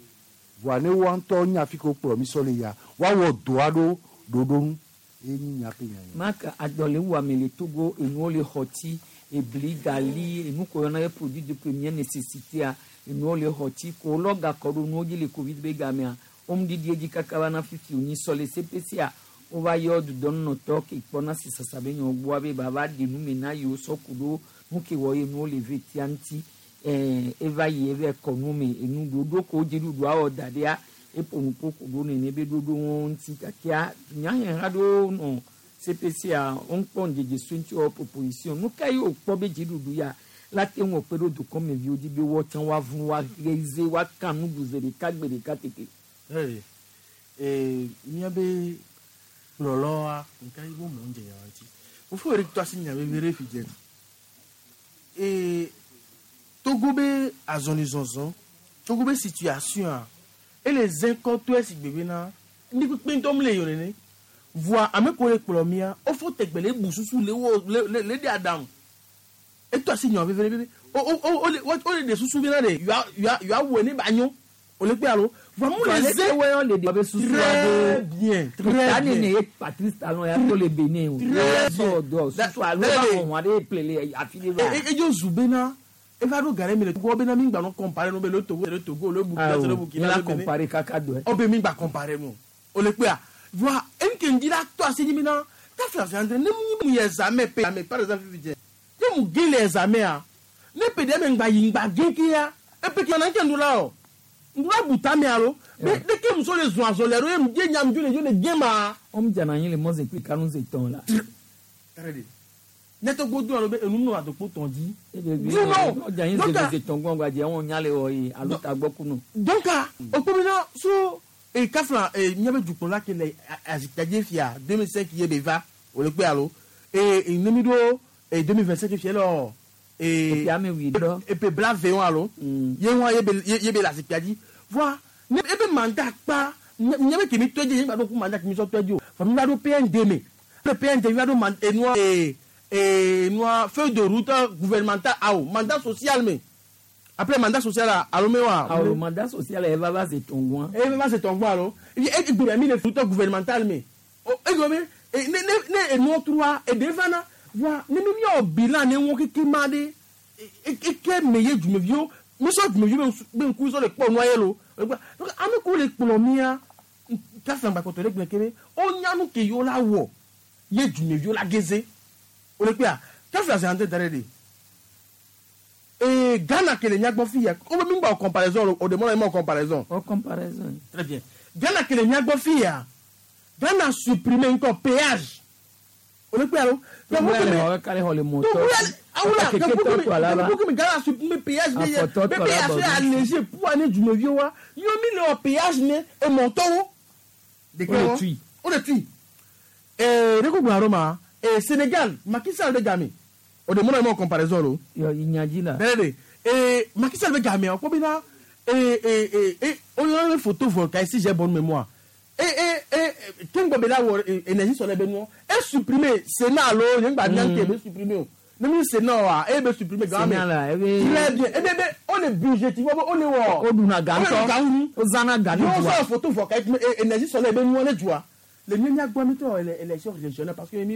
voa ne woa ŋutɔ nya fi ke wokplɔ mi sɔ le ya woawɔ dɔa ɖo ɖoɖo nu eye nyi nya ƒe nya ye. Maka adɔle wu ame le Togo enuwo le xɔti ebli gali enu ko yɔna ye produit de première nécessité a enuwo le xɔti ko lɔ gakɔ ɖo nuwo dzi le covid be gamea woŋdidi edzi kaka va na fifi wònyi sɔ le CPC a wova yɔ dudɔnunɔtɔ ke kpɔna si sasa be nyɔ gbɔa be bava ɖe nu me na yewo sɔ ku ɖo nu ke wɔ ye nuwo le ve tia ŋuti eva yi eva kɔ nu me enu ɖoɖo ko dziɖuɖu awɔ da ɖea eƒo nu ƒo ku ɖo nene be ɖoɖo wɔwo ŋuti gakea dunyaheha ɖewo nɔ CPC a wokpɔ ŋdzedze sue ŋuti wɔ proposition nu ka ye wòkpɔ be dziɖuɖu ya la te ŋu kpe ɖo dukɔmeviwo dzi be woatsã woavu woaɣeze woaka nuɖu ze ɖeka gbe ɖeka tete. Ee, míabe kplɔlɔa nka yi bo mɔ ŋdze yawa ŋuti fofo yɛrɛ tɔ asi nya vevi ɖe fi dze ee Togo be azɔlizɔzɔ Togo be situation a ele zẽ kɔtɔe si gbe bena Ndi kpekpe ŋutɔ mu le yio nene. Voa ame ko le kplɔ mia, wofo tegbe le bu susu le wo le ɖe aɖaŋu. Eto asi nyɔ veve veve. O o o o le wo le ɖe susu bena ɖe yoa wɔe ne ba nyo. O le kpe alo. Voa mu le ze. Leke le ɖe be susu Très bien, très Ta bien. ne ye Patrice Talon ya to le Benin o. Très Sɔ dɔ susu alo Très ba bien. xɔ hɔn aɖe ple le afi ɖe va. Edzo zu bena eva ɖo ga ɖe mi le Togo bena mi gba nɔ comparer no be le Togo le Togo le Burkina Awo, le Burkina mi la le Benin. comparer kaka dɔe. O be mi gba comparer no. O le kpea. Voa enke ŋdi la tɔ asi nyi bena kafi asi andre ne mu yi examen pe ame par exemple fifi dze. Ne mu ge le examen a ne pe ɖe me ŋgba yi ŋgba ge ke ya epe ke na nke ŋdu la o. Ŋdu la bu tame alo. Be de ke muso le zɔn azɔli alo ye mu ye nya mu dzo le dzo le ge ma. Wɔn dzana anyi le mɔze kple kanu ze tɔn la. Ne to gbɔdo alo be enu nɔ adokpo tɔn dzi. You know. Ɔdze anyi Donc, ze tɔn gbɔn gbadze wɔn nya le wɔ ye alo tagbɔ kunu. Donc okpomina so e kafla e miabe dukplɔla ke le azikpadze fia 2005 ye be va wòle kpe alo e nemi ɖo e 2025 fia lɔ e Epe ame wui ɖɔ. epe bla ve wɔn alo ye wɔn ye be ye be le azikpadzi voa ne ebe mandat kpa miabe kemi tɔ dzi ye gba ɖo ku mandat kemi sɔ tɔ dzi o fɔ mi va ɖo PND me le PND mi va ɖo man enua e enua feuille de route gouvernementale awo mandat social me après mandat social la alo me wa. Awo mandat social yɛ va va ze tɔn gbɔn. E va se tɔn gbɔ alo e gbèrè mi le route gouvernementale me o e gbɔ be e ne ne ne enua trua eɖe vana voa ne mi miawɔ bilan ne ŋu keke ma ɖe e e ke me ye dumeviwo misɔ dumeviwo be ŋku sɔ le kpɔ nua ye lo donc ame ko le kplɔ mia kafi agbakɔtɔ ɖe gblẽ ke be wonya nu ke yewo la wɔ ye dumeviwo la geze o le kpea kafi azã da ɖe ɖe ee Ghana ke le miagbɔ fi ya wo be mi gba wɔ comparaison o de mɔ la mi ma wɔ comparaison. O comparaison. Très bien. Ghana ke le miagbɔ fi ya Ghana supprimer ŋkɔ péage o le kpe alo. Togoya le xɔ kale xɔ le mɔtɔ. Awula Keke tɔ tɔ la va. kekeke Ghana supprimer péage ne ye Afɔtɔ be tɔ la péage bɔ ye allégé pour ne dumeviwo wa yɔ mi le wɔ péage ne emɔtɔwo. O le tui. O le tui. Ee ne ko gbɔn arɔ ma ee Sénégal Macky Sall bɛ game o de mɔna ye ma comparaison lo. Yɔ inyadzi la. Bẹ́ẹ̀ de ee Macky Sall bɛ game o ko bɛ na ee ee ee ee o yɔrɔ bɛ photovoltaïque si j'ai bonne mémoire ee ee ee kéŋgbɔ bɛ la wɔ ee énergie solaire bɛ nɔ e supprimer Sénat lo yẹn gba mian ke bɛ supprimer o ne mi Sénat wa e bɛ supprimer game Sénat la, e bɛ- très bien e bɛ bɛ o le budget o le wɔ O duna ga o le ŋutɔ. ga ŋu O zana ga ne yóò dua. sɔ photovoltaïque énergie solaire bɛ nɔ ne dua le mieux miagbɔ mi tɔ élection régionale parce que mi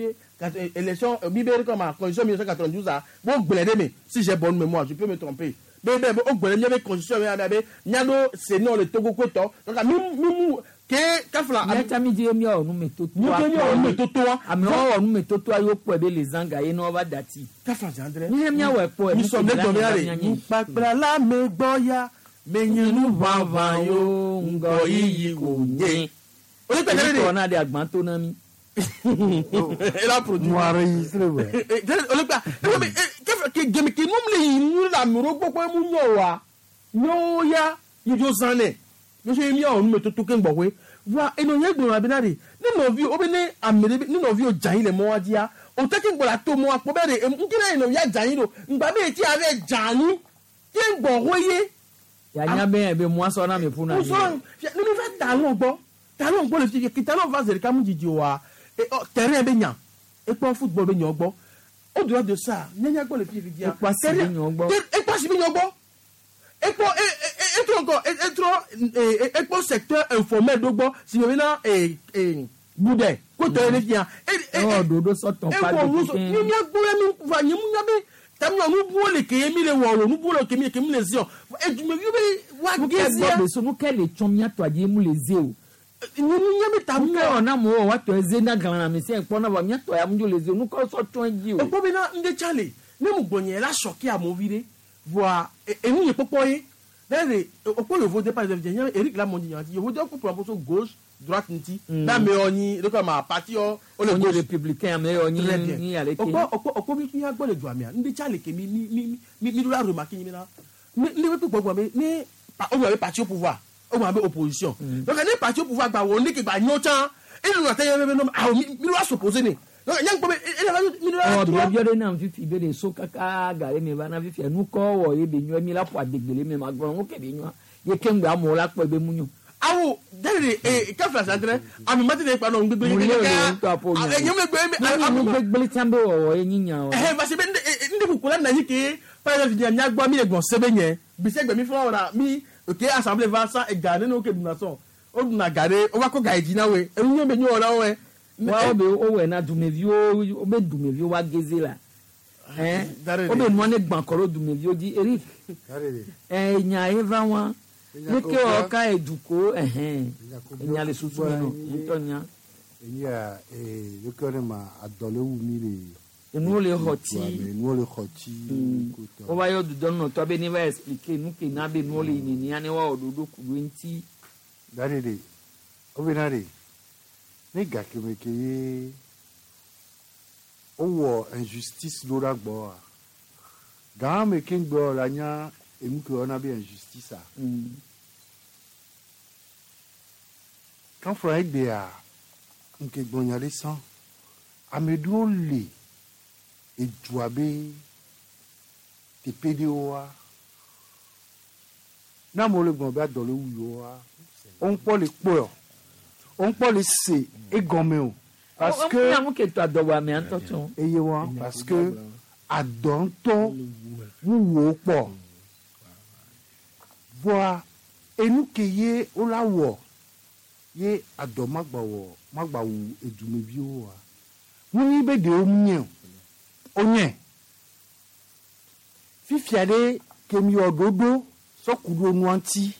élection mi bɛ comme constitution 1992 a bo gblẽ ɖe me si j'ai bonne mémoire je peux me tromper be be o gblẽ miabe constitution mi abe miaɖo Sénat le Togo kotɔ donc mi mi mu ke kafla. Miatsa mi dzi miawɔ numetotoa. Mi ke miawɔ numetotoa. Amewo wɔ numetotoa yewo kpɔe be le zã ga ye ne woava dati. Kafla André. Mi miawɔ ekpɔe. Mi sɔ ne dɔmi ya le nukpakpla la me gbɔ ya menye nu ʋaʋã yo ŋgɔ yiyi ko nye. O le kpɛ Tɔ na de agban to na mi. Elle a produit. Mo enregistré wɛ. Olùgbà gèmí kì í nú lè yí nú la mìíràn gbọ́ pé mú yàn wá yóò yá yíyó zanẹ yóò ṣe mí àwọn onímọ̀ tó tó kéǹgbọ̀ pé wá ẹnu yẹn gbọ̀n àbí náà rè nínú òbí ó bẹ ní àmì nínú òbí ó jà yín lẹ̀ mọ́ wá díá òtẹ́ kí n gbọ́dọ̀ tó mọ́ apọ̀ bẹ́ẹ̀ rè nkí náà ìnà yá jà yín lò ǹgbà bẹ́ẹ̀ tí a bẹ́ jà yín kí n gbọ̀ wó yé. Yanya bɛ ebe mu asɔ na mi ƒu na Mo sọ nínú fẹ́ talon gbọ́ talon gbọ́ lè fi kí talon va zèrè kámú jìjì wa terrain bɛ ɲa ekpɔ football bɛ ɲɔ gbɔ au delà de ça nyanya gbɔ le fi fi diya Ekpɔ asi bɛ ɲɔ gbɔ. ekpɔ asi bɛ ɲɔ gbɔ ekpɔ etrɔ ŋkɔ etrɔ ekpɔ secteur informel do gbɔ si bɛ na budɛ kótó yɛ ne fia. Ewɔ ɖoɖo sɔtɔn pa ewɔ nu sɔ nyanya gbɔ yɛ mi va nyemu nya be tami nubuwo le ke ye mi le wɔ o nubuwo le ke mi le ke mi le zi o edumeviwo be wa Nukɛ gé gbɔ be so nukɛ le tsɔn miatɔ adi ye mu le ze o. Nyemu nya be ta Nukɛ wɔ na mo wɔ wa tɔ eze na glana mi se kpɔ na vɔ miatɔ ya mu dzo le ze o nukɛ sɔ tsɔn dzi o. ekpɔ bena ŋdɛ tsa le ne mu gbɔnyɛ la sɔki amewo vi ɖe voa enu nye kpɔkpɔ ye ne le okpɔ yovo de par exemple nye Eric Lamondi nya yovo de kpɔ promotion gauche droite ŋuti ne amewo nyi ɖe kɔ ma parti yɔ wo le Wonye gauche républicain ame yɔ nyi Très bien. nyi ale ke. okpɔ okpɔ okpɔ mi mi agbɔ le dua mea ŋdɛ tsa le ke mi mi mi mi mi ɖo la remarque nyi bena ne ne be gbɔgbɔ be ne pa o gblɔ be parti au pouvoir o gblɔ be opposition donc ne parti au pouvoir gba wɔ ne ke gba nyɔ tsã eye nɔ te yɛ be no awo mi mi ɖo la s'opposer ne donc nye ŋkpɔ be e e mi ɖo la Ɔ trɔ. biɔbiɔ ɖe nam fifi be de so kaka ga ɖe me va na fifi nukɔ wɔ ye be nyɔ mi la ƒo adegbele me ma gblɔ ŋu ke be nyɔa ye ke ŋgbe amewo la kpɔe be mu nyɔ. Awo dẹ́rẹ̀ ee kẹfìlà sàtẹrẹ àmì mọ́tò ní ìpanu gbégbé Mun le o ŋutɔ aƒo nya. Ẹ̀yẹ́ mi gbé Nu gbegblẽ tsã be wɔwɔ ye nyi nya o. Ɛhɛn parce que ndé kukula nà yí ké par exemple nya nya gbɔ mi le gbɔn sɛbɛn nyɛ bisɛ gbɛmi fúnra wòra mi òkè assemblée va san ega nínú òkè dùnà sɔn ó dùnà gàdé ó bá kó gà yìí jìnnà wẹ̀ ẹnu yẹn bẹ nyɔ wòra wẹ̀. Wa wo be wowɔe na dumeviwo wobe dumeviwo wa geze la. Ɛn wobe nua ne gbã kɔ ɖo dumeviwo dzi Eric. Ɛn nya ye va wa. Ne ke wɔ ka eduko ɛhɛn enya le susu me nɔ ŋutɔ nya. Eya ee leke ne ma adɔ le wu mi le. Enuwo le xɔ tsi. Enuwo le xɔ tsi. Wova yɔ dudɔnunɔtɔ be ne va expliquer nu ke na be nuwo le yi nenia ne woawɔ ɖoɖo ku ɖo eŋuti. Da ɖe ɖe wobena ɖe ne gakeme ke ye wowɔ injustice ɖo ɖa gbɔa gã me ke ŋgbɔ la nya enu ke wɔna be injustice a. Kanfra egbea nke gbɔnya ɖe sã ame ɖewo le edua be teƒe ɖewoa ne amewo le gblɔ be adɔ le wu yewoa woŋkpɔ le kpɔe o woŋkpɔ le se egɔme o parce que Nya nu ke tɔ adɔwɔamea ŋutɔ tsɔ. eye wa parce que adɔ ŋutɔ wuwo kpɔ voa enu ke ye wola wɔ ye adɔ magba wɔ magba wu edumeviwo wa wonyi be ɖewo nye o wonye fifia ɖe ke mi wɔ ɖoɖo sɔku ɖo nua ŋuti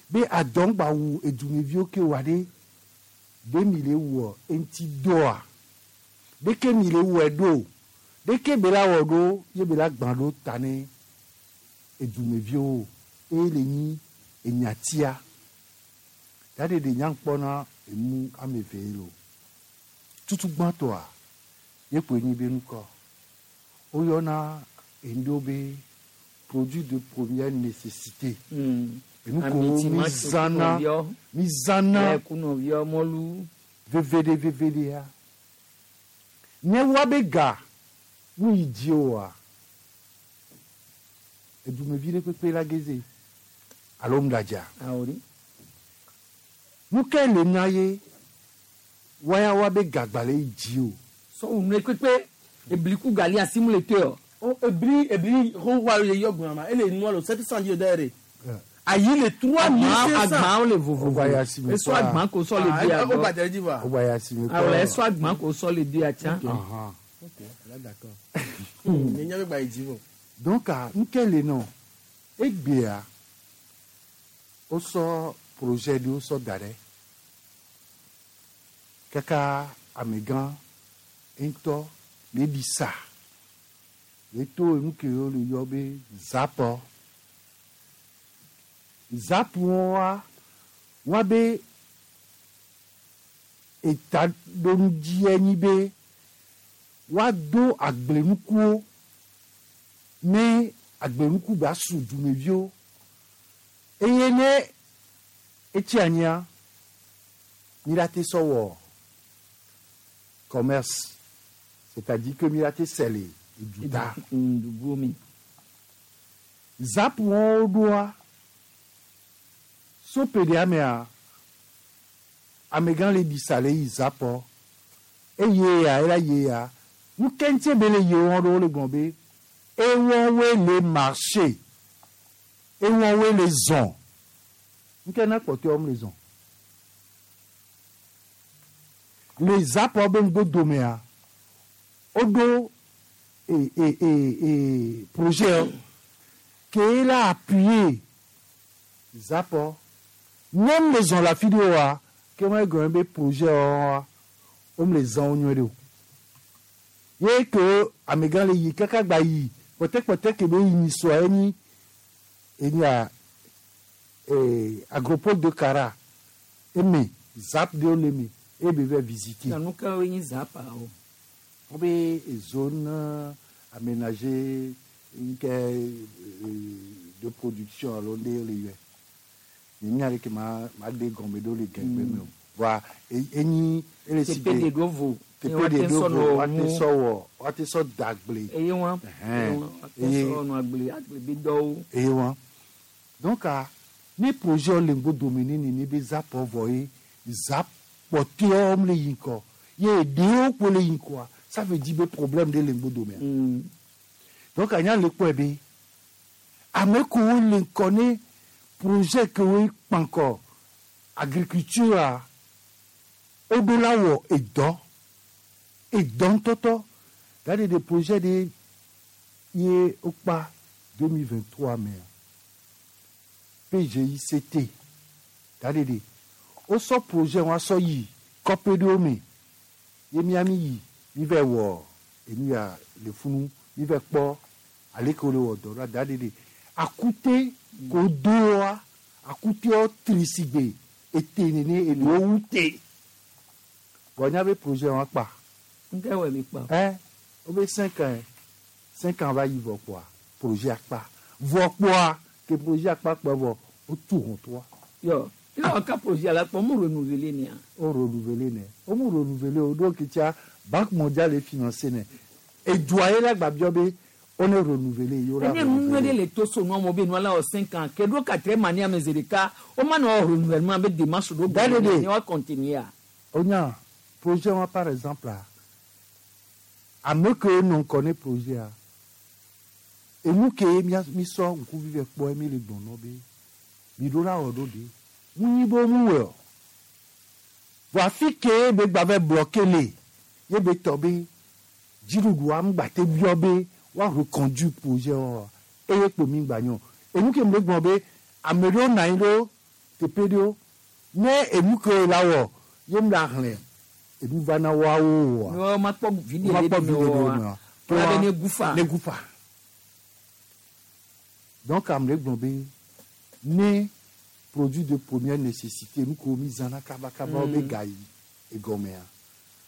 be adɔ ŋgba wu edumeviwo ke wa ɖe ɖe mi le wɔ eŋuti dɔa ɖeke mi le wɔe ɖo ɖeke be la wɔ ɖo ye be la gbã ɖo ta ne edumeviwo eye le nyi enyatia ta ɖe ɖe nyankpɔna enu ame eve ye lo tutu gbãtɔa ye koe nyi be nukɔ woyɔna enu be produit de première nécessité enu ko mi zãna mi zãna Kunɔviɔ mɔlu. vevede vevedea ne wa be ga nu yi dzi oa edumevi ɖe kpekpe la geze alo ŋdadza Awori. nu ke le na ye waya wa be gagba le yi dzi o. Sɔwù nu kpekpe ebliku gali asimu le te o. Ebli ebli xɔ wa ye yɔ gbɔn ma ele nua lo 700 di dɛ de ayi le 3500. Agbawo le vovovo. Esɔ agban ko sɔ le di O agbɔ. gbadze dzi va. O gba ya si me kɔ. Awɔ esɔ agban ko sɔ le di atsa. Ok, là d'accord. Nye nya be gba yi dzi vɔ. Donc nu ke le nɔ egbea wosɔ projet ɖewo sɔ da ɖe kaka amegã ŋutɔ le ɖi sa le to enu ke wo le yɔ be zapɔ zapuwoa wa be etaɖonudzie nyi be woado agblenukuwo ne agblenuku ba su dumeviwo eye ne etsi anyia mi la te sɔ wɔ commerce c'est-à-dire que mi la te sɛ le eduta. Duguwo mi. Zapu wɔn ɖoa sope ɖe amea amegã le ɖi sa le yi zapɔ eye ya ela ye ya nu ke ŋuti be le ye wɔn ɖo le gblɔ be ewɔwoe le marché ewɔwoe le zɔn nu ke na kpɔtɔewo le zɔn le zapɔ be ŋgbodomea woɖo e e e e projet ke la appuyer zapɔ nyɔnu le zɔn le afi ɖe oa ke wɔn egɔme be projet wɔa wɔn le zɔn wo nyuie ɖe o ye ke amegã le yi kaka gba yi kpɔtɛkpɔtɛ ke be yi nyisɔa enyi enyia ee agropole de Kara eme zap ɖewo le eme eye be va visiter. Nanu ka wo nyi zapa o. Wobe zone aménagée nke de production alo ɖe le yɔe nye nya ɖe ke ma ma de gɔme ɖo le gɛgbɛ me o voa enyi ele si Teƒe ɖe ɖo vo. teƒe ɖe ɖo vo woate sɔ wɔ woate sɔ da agble. Eye wa. Ɛhɛn. Eye wa. Sɔ nɔ agble agble be dɔwo. Eye wa donc a Ne projet le ŋgbo dome ne nene be zap vɔ ye zap kpɔtɔewo le yi ŋkɔ ye eɖewo kpo le yi ŋkɔa, ça veut dire be problème ɖe le ŋgbo domea. Donc anya le kpɔe be ame kewo le ŋkɔ ne projet kewo kpankɔ agriculture a, woɖo la wɔ edɔ ŋutɔtɔ gade de projet ɖe ye wokpa 2023 mea, PGICT gade de wosɔ projet wa sɔ yi kɔƒe ɖewo me ye miami yi mi vɛ wɔ enu ya le funu, mi vɛ kpɔ aleke wole wɔ dɔ ɖo gade de akute ko doa akutewo tri sigbe ete nene eɖewo wu te bɔn nya be projet wa kpa. Nke wɔ mi kpa? Ɛ wo be 5 ans, 5 ans va yi vɔ kpoa, projet akpa vɔ kpoa ke projet akpa kpɔ vɔ wotu hɔn toa. Yɔ ila ka projet la kpɔ mu renouveler nia? O renouveler nɛ, o mu renouveler o do kitsa Banque mondiale financé nɛ edua ye la gba biɔ be o ne renouveler ye o la. Enye nu nyuie ɖe le to so nua mo be nua la wɔ 5 ans ke ɖo quatrième année ame zi ɖeka o ma nɔ renouvellement be démarche ɖo. Gade de. Ne wa continuer a. O nya projet wa par exemple a, ame kewo nɔ ŋkɔ ne projet a, enu ke mia mi sɔ ŋkuvi vɛ kpɔ mi le gbɔnɔ be mi ɖo la wɔ ɖo de mu nyi be mu wɔ o vɔ afi ke be gba vɛ bloqué le ye be tɔ be dziɖuɖua ŋgba te biɔ be woa reconduire projet wa eye kpo mi gba nyɔ. Enu ke mi le gblɔ be ame ɖewo nɔ anyi ɖo teƒe ɖewo ne enu ke la wɔ ye mi la xlẽ enu va na woawo wa. Ne wa ma kpɔ vi Ma ɖe kpɔ le vi ɖe wa mea. la be ne gufa. Ne gufa. Donc ame ɖe gblɔ be ne produit de première nécessité nu ko mi zãna kabakaba wo be ga yi egɔmea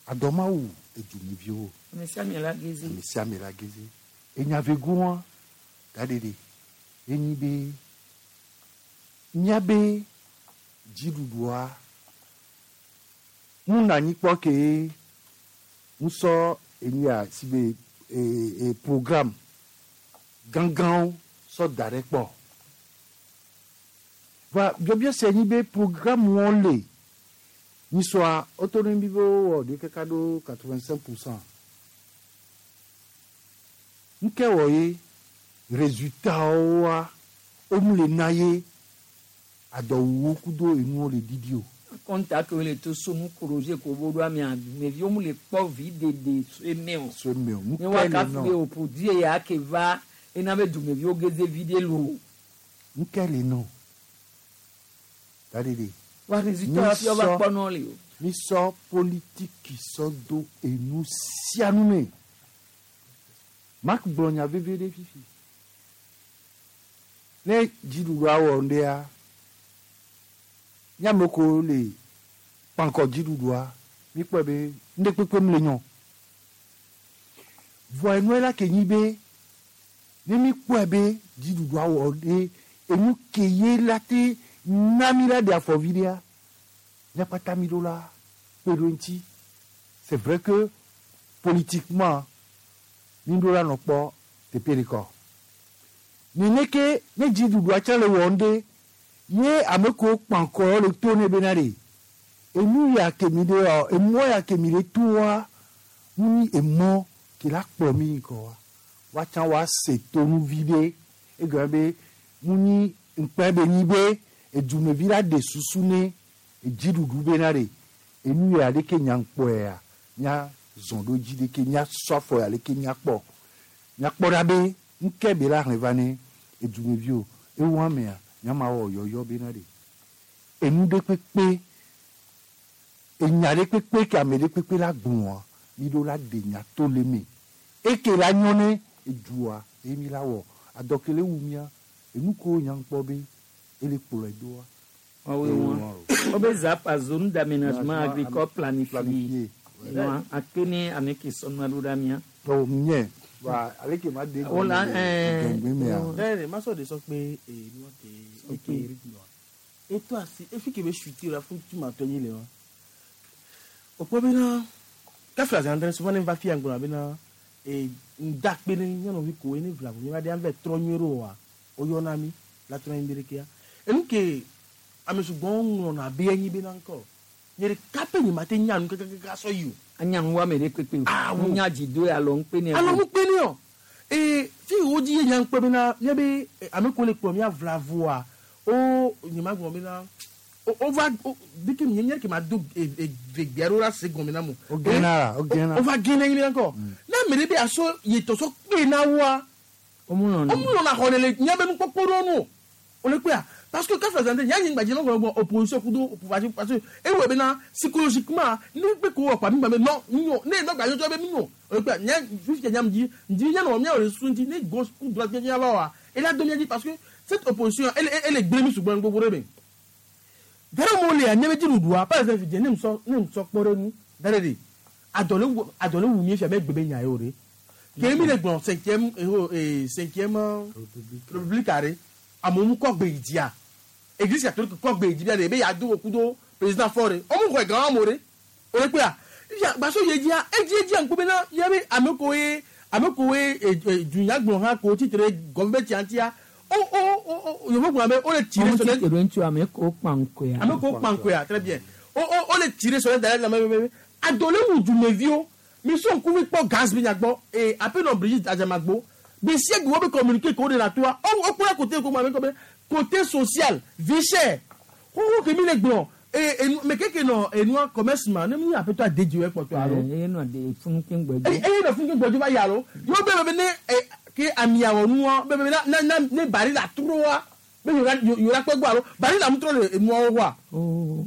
adɔmawu edumeviwo. Ame sia ame la geze. Ame sia ame la geze enyavegoa gaɖeɖe enyi be míabe dziɖuɖua mu na anyi kpɔ ke ŋusɔ enu ya si be e programme gãgãwo sɔ da ɖe kpɔ va biɔbiɔ se nyi be programme wɔn le nyisɔa woto ne mi be wowɔ ɖe kaka ɖo 85%. Nke wɔ ye résultat woa womu le na ye adɔwuwo kudo enuwo le didi o. Kɔnta ke le to so nu projet ko bo ɖo amea dumeviwo mu le kpɔ vi ɖeɖe so eme o. So eme o. Ne wa ka fi be o produit ya ke va ena be dumeviwo geze vi ɖe lo. Nke le nɔ daɖeɖe. Wa résultat wa fi wa kpɔ nɔ le o. Mi sɔ politiki sɔ do enu sia nu me. Mark gblɔ nya veve ɖe fifi ne dziɖuɖua wɔ ŋɖea míame ko le kpankɔ dziɖuɖua mi kpɔe be ŋɖe kpekpe mu le nyɔ vɔa enua la ke nyi be ne mi kpɔe be dziɖuɖua wɔ ɖe enu ke ye la te na mi la ɖe afɔ vi ɖea míakpata mi ɖo la kpe ɖo ŋuti. C'est vrai que politiquement mi ɖo la nɔ kpɔ teƒe ɖeka nene ke ne dziɖuɖua tsã le wɔm ɖe ye ame kewo kpankɔ le to ne bena ɖe enu ya ke mi ɖe ɔ emɔ ya ke mi ɖe toa mu nyi emɔ ke la kplɔ mi ŋkɔ wa woatsã woase tonu vi ɖe egɔme be mu nyi ŋkpɛ be nyi be edumevi la ɖe susu ne edziɖuɖu bena ɖe enu ya ɖeke nya ŋkpɔea nya zɔn ɖo dzi ɖeke nya sɔ afɔ ya ɖeke nya kpɔ nya kpɔ ɖa be ŋkɛ be la hlẽ va ne edumeviwo ewu amea nyama wɔ yɔyɔ bena ɖe enu ɖe kpekpe enya ɖe kpekpe ke ame ɖe kpekpe la gblɔa mi ɖo la ɖe nya to le me eke la nyɔ ne edua eye mi la wɔ adɔkele wu mia enu ko nya ŋkpɔ be ele kplɔe doa. Awo wọn o be zapa zone d'aménagement agricole planifié wọn akene ame ke sɔnua ɖo ɖa mia. Tɔwɔ nyɛ wa ale ke ma de. O la ɛɛ. Gbɛngbɛn mɛ ya. Ɛ ma sɔ de sɔ kpe ee ke eke rythme wa eto asi efi ke be chuter la fún tu ma tɔ nyi le wa o kpɔ bena kafi azan dɛ souvent ne va fi yan gblɔna bena ee ŋda kpe ne nyɔnuvi ko ne vla mi va de an vɛ trɔ nyuie ɖo wa o yɔna mi la trɔ nyi be ɖekea. Enu ke ame sugbɔ ŋlɔna be enyi bena ŋkɔ. Nye ɖeka pe nye ma te nya nu kakakaka sɔ yi o. Anya nu ame ɖe kpekpe o. Awo. Nya dzi do alɔ ŋukpe ne. Alɔ ŋukpe ne o. Ee fi wo dzi ye nya ŋukpe bena mía be ame ko le kplɔ mía vlavoa o nye ma gblɔ bena o va o deke nye nye ke ma do vegbea ɖo la se gɔme na mo. O gena la, o gena. O va gena yi bena ŋkɔ. Ne ame ɖe be aso yetɔ sɔ kpe na woa. O mu lɔna. O mu lɔna xɔ ne le mía be nukpɔkpɔ ɖewo nu o. O le kpea parce que kafla zante nya nye gbadze mɔgɔ gbɔ opposition kudo pouvoir parce que ewɔ bena psychologiquement ne kpe ko wɔ kpa mi gba be non mi ne nɔ gbadze tsɔ be mi o le kpea nya fifi nya mi dzi dzi nya nɔ mia wɔ le susu ŋuti ne gauche ku droite nya va wa ela do mia dzi parce que cette opposition elle elle gblẽ mi sugbɔ gbogbo ɖe me. Gare mo le anya be dziɖuɖua par exemple dze ne ŋusɔ ne ŋusɔ kpɔ ɖe nu da ɖe ɖe adɔ le wu mi fia be gbe be nya ye o ɖe ke mi le gblɔ cinquième cinquième république ɖe amewo mu kɔ gbe yi dzia église catholique kɔ gbe yi dzi bia ɖe be yeado wo kudo président fɔ ɖe wɔmu xɔ gã wɔmo ɖe o le kpea fia gbaso ye dzia edzi edzia ŋku bena ya be ame ko ye ame ko ye dunyagblɔ hã ko tsitre gɔme tia o o o yevu gblɔ be o le tsi ɖe sɔlɛ Ɔmu tsi ŋutsu ame ko kpaŋkoya. ame ko kpaŋkoya très bien o o o le tsi ɖe sɔlɛ da ɖe ame be ado le wu dumeviwo mi sɔ ŋkuvi kpɔ gaz bi nyagbɔ ee apenɔ Brigitte Adzamagbo gbesia gbe wo be communiqué ko de la toa o o kpɔna côté ko ma be kɔ be côté social vie chère xoxo ke mi le gblɔ ee enu me keke nɔ enua commerce ma ne mi aƒetɔ adedzi wo ekpɔtɔ alo Eye nɔ de funu ke ŋgbɛ eye eye nɔ funu ke gbɔdzi va yi alo yewo be be ne e ke amiawɔ nua be be na na na ne bari la trɔa be yora yora kpɛ gbɔ alo bari la ŋutrɔ le enuawo wa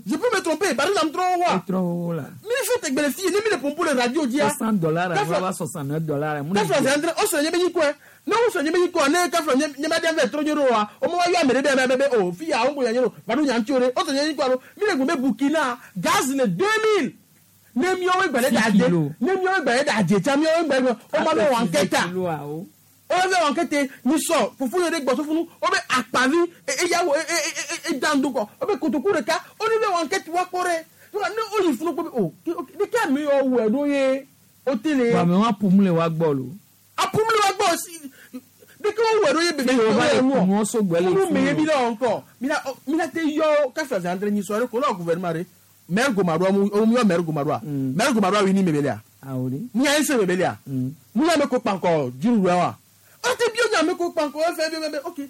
je peux me tromper bari la ŋutrɔ wa Etrɔ wo la. mi fi te gbele fi ne mi le pompo le radio dzia $100 alo va $69. kafla zandre o sɔ nye be nyi kɔe ne o sɔ nye be nyi kɔe ne kafla nye nye ma den fɛ trɔ nye ɖo wa o ma wa yɔ ame ɖe be be be o fi ya o ŋgo ya nye ɖo va ɖo nya ŋuti o ɖe o sɔ nye nyi kɔe alo mi le gblɔ be Burkina gaz le 2000 ne miawo gba ɖe da dze ne miawo gba ɖe da dze tsa miawo gba ɖe o ma be wɔn kɛta o be wɔn kɛtɛ mi sɔ fufu yɛ ɖe gbɔ sofunu o be akpavi eya wo e e e dan do kɔ o be kotoku ɖeka o ne be wɔn kɛtɛ wa kpɔ ɖe ne o yi funu kpɔ be o ne ke ame yɔ wɔ ɖo ye o te le. Bame wa pum le wa gbɔ lo. Apum le wa gbɔ si de ke wo wɔ ɖo ye bebe Fi wo va le kunu so gbɛ le funu me ye funu. mi la ŋkɔ mi la mi la te yɔ kafla zandre nyi sɔ ɖe ko la gouvernement ɖe maire Gomadoa mu o mu yɔ maire Gomadoa maire Gomadoa wi ni mebelia Awo de. mu ya ese mebelia mu ya me ko kpankɔ dziɖuɖua wa o te bi o nya me ko kpankɔ efe bi be ok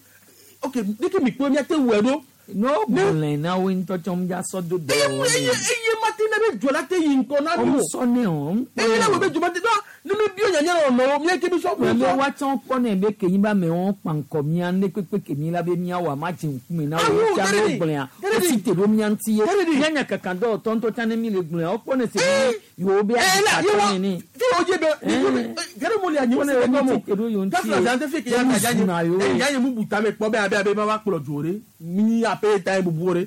ok de ke mi kpɔ mi ate wɔ ɖo. N'o gblẽ na wo ŋutɔ tsɔ mu dza sɔ do dɔ eye wɔ eye eye ma te ne be dzɔ la te yi ŋkɔ na mi O o sɔ ne o. eye ne wo be dzɔ ma te dɔn ne mi bi o nya nya nɔ mi ke mi sɔ Mɛ bɛ wa tsɔ kpɔ ne be kenyi ba mɛ wɔn kpankɔ mia ne kpekpe kemi la be mia wɔ ama dze ŋkume na wo tsa ne wo gblẽa o si te ɖo mia ŋuti ye mia nya kaka dɔ tɔntɔ tsa ne mi le gblẽa wo kpɔ ne se be yewo be ye wa adzatɔ nene. fi o dze be gɛrɛ mo le anyi Kpɔ ne se be be mi mo te ɖo yewo ŋuti kafla ye. zan te fi ke ya Ye ka mu zuna yewo. ya ya nye mu bu tame kpɔ be abe abe ma va kplɔ dzo ɖe mi ape ta ye bubu ɖe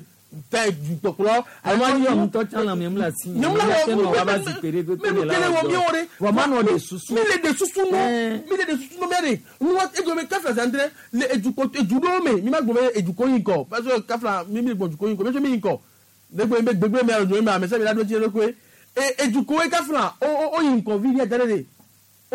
ta ye dukpɔkplɔ Alo yɔ ŋutɔ tsã le ame la si. Nye mu la wɔ Nye wa ba zikpui ɖe kpekpe mi le la kele wɔ mi wɔ ɖe Vɔ ma nɔ de susu. mi le de susu nɔ mi le de susu nɔ mi ɖe nuwa edzo be kafla zan ɖe le edukɔ edu ɖewo me mi ma gblɔ be edukɔ yi ŋkɔ parce que kafla mi mi gbɔ dukɔ yi ŋkɔ mi tso mi yi ŋkɔ ne gbe be gbegbe mi alo mi ame sia mi la ɖo dzi ɖe koe e edukɔ ye kafla o o o yi ŋkɔ vi ɖe da ɖe de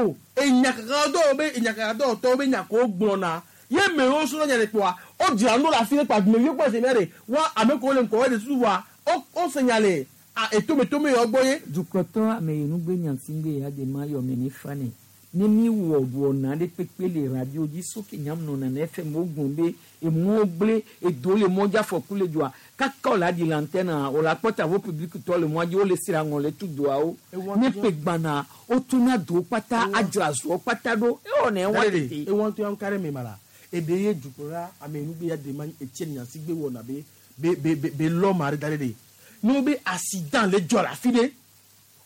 o enyakaka dɔw be enyakaka dɔw tɔw be nyako gblɔna ye mewo srɔ̃ nya ɖe kpoa o dzra nu le afi ɖe kpa dumeviwo kpɔ se mia ɖe wa ame kewo le ŋkɔ wo ɖe susu voa o o se nya le a etometome yɔ gbɔ ye. Dukɔtɔ ame yi nugbe nyati ŋgbe ya de ma yɔ me ne fa ne ne mi wɔ wɔna ɖe kpekpe le radio dzi soke nyam nɔna na FM wo gblɔ be emɔwo gblẽ edo le mɔ dzi afɔku le dzoa kaka wòle aɖi le antenne wòle akpɔ tavo public tɔ le mɔa dzi wole sra ŋɔ le tu doawo ne ƒe gbana wotuna dowo kpata adzra zɔwo kpata ɖo ewɔ ne wa tete. ewɔn to yan kari mi ma la ebe ye dukɔla ame nugbe ya de ma etienne nyansigbe wɔna be be be be be lɔ ma ɖe da ɖe de ne wo be accident le dzɔ le afi ɖe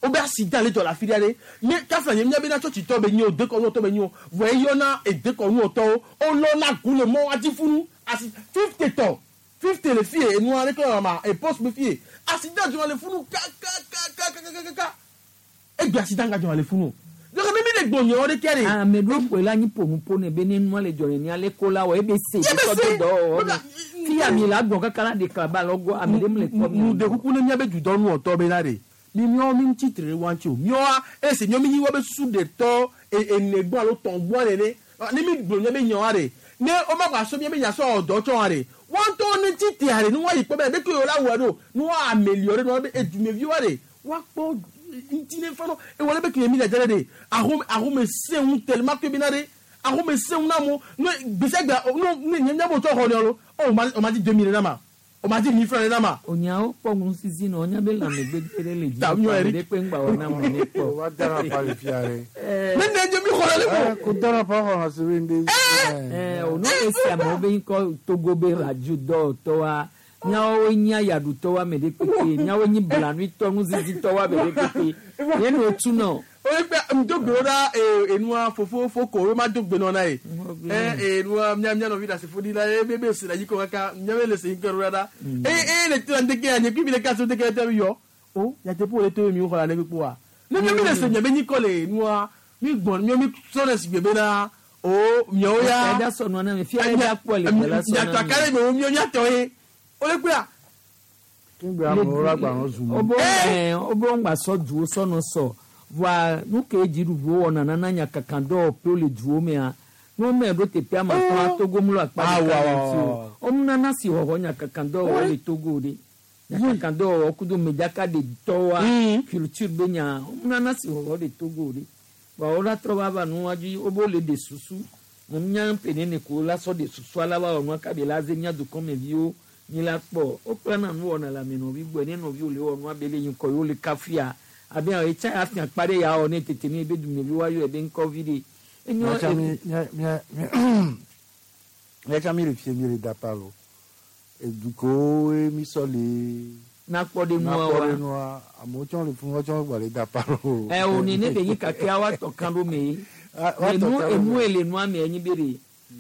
wo be accident le dzɔ le afi ɖe ɖe ne kafla nye mía be na tsɔtsitɔ be nyi o dekɔnuwɔtɔ be nyi o vɔ eyɔna edekɔnuwɔtɔwo wolɔna gu le mɔ wa dzi funu asi 50 tɔ 50 le fie enua ɖe kɔ ma e poste be fie accident dzɔ le funu kakakakakakaka egbe accident ga dzɔ le funu donc ne mi le gbɔ nyɔ ɖe kɛ de. Ame ɖewo ƒoe la anyi ƒonuƒo ne be ne nua le dzɔ nenia le ko la wɔ ebe se Ye be sɔ se. do dɔwɔwɔ me fi ami la gbɔ kaka la ɖeka ba lɔ gbɔ ame ɖe mele kpɔ nu de kuku ne míabe dudɔnuwɔtɔ be la de mi míawo mi ŋuti tre wa ŋuti o míawoa esi míawo mi nyi wobe susu ɖe tɔ ene gbɔ alo tɔn gbɔ nene ne mi gblɔ míabe nyawoa de ne woma gba sɔ míabe nya sɔ wɔ dɔ tsɔ wa de Wɔn tɔ ne ti tea ɖe ne woayi kpɔ be ɖeke yio la wɔ ɖo ne woa améliorer ne be edumevi wa ɖe woakpɔ ŋuti ne fa no ewɔ ɖe be kile mi dzadza ɖe ɖe ahome ahome se ŋu tellement que bena ɖe ahome se ŋu na mo ne gbèsègbè ne ne nye miabo tsɔ xɔ ne lo o ma o ma di 2000 ɖe na ma o ma di 1000 francs ɖe na ma. Onyawo kpɔ ŋusizi na wonya be lãmegbegbe ɖe le dzi Ta miɔ ɖe kpe ŋgba wɔ na mo ne kpɔ. Wa dara pa le fia ɖe. Ne ne dze mi xɔ le le Ko dara pa xɔ na se be nde. Ɛ o no esi amewo be ŋkɔ Togo be radio dɔwɔtɔwoa miawo nye yaɖutɔwo ame ɖe kpekpe miawo nye blanuitɔ nuzizitɔwo ame ɖe kpekpe ye ne wotu nɔ. Oye kpe ŋdo gbe ɖa enua fofo foko wo ma do gbe nɔ na ye ɛ enua mia mia nɔvi ɖasefo ɖi la ye be be se la yi kɔ kaka mia be le se yi kɔ ɖo ɖa eye eye le tena ŋdeke ya nye kpi mi le kasi ŋdeke te yɔ o nyateƒe le to mi xɔ la ne kpekpe wa ne mi le se mia be nyikɔ le enua mi gbɔn mi mi sɔ le si gbe bena o miawo ya Ɛda sɔ nua na mi fia ɛda kpɔ le la sɔ na mi. nyataka le mi wo mia tɔ ye o le kpea. Kingbe amewo la gba nɔ zu. Obo ɛ obo ŋgba sɔ duwo sɔnɔ sɔ voa nu ke dziɖuɖuwo wɔna nana nyakaka dɔwɔƒewo le duwo mea ne wome ɖo teƒe ama tɔa Togo mlɔ akpa ɖeka le ŋuti o womenana si xɔxɔ nyakaka dɔwɔwɔ le Togo ɖe nyakaka dɔwɔwɔ kudo medzakaɖetɔwoa culture be nya womenana si xɔxɔ le Togo ɖe voa wola trɔ va va nua dzi wobe wole ɖe susu menya ƒe nene ko la sɔ ɖe susua la va wɔ nua kabe la ze mía dukɔmeviwo mi la kpɔ wokplana nu wɔna le ame nɔvi gbɔe ne nɔviwo le wɔ nua be le ŋkɔ yewo le kafuia abe awo etsa ya fia kpa ɖe ya wɔ ne tete ne ebe dumevi wa yɔ ebe ŋkɔvi ɖe enyo Miatsa mi mia mia miatsa mi le fie mi le da pa lo. Edukowo mi sɔ le. Nakpɔ ɖe nua wa. Nakpɔ ɖe nua amewo tsɔ le funu tsɔ gba le da pa lo. Ɛ o ne be nyi kakea wa tɔ kan ɖo me ye wa tɔ enu kan ɖo enu me. ele nua me enyi be ɖe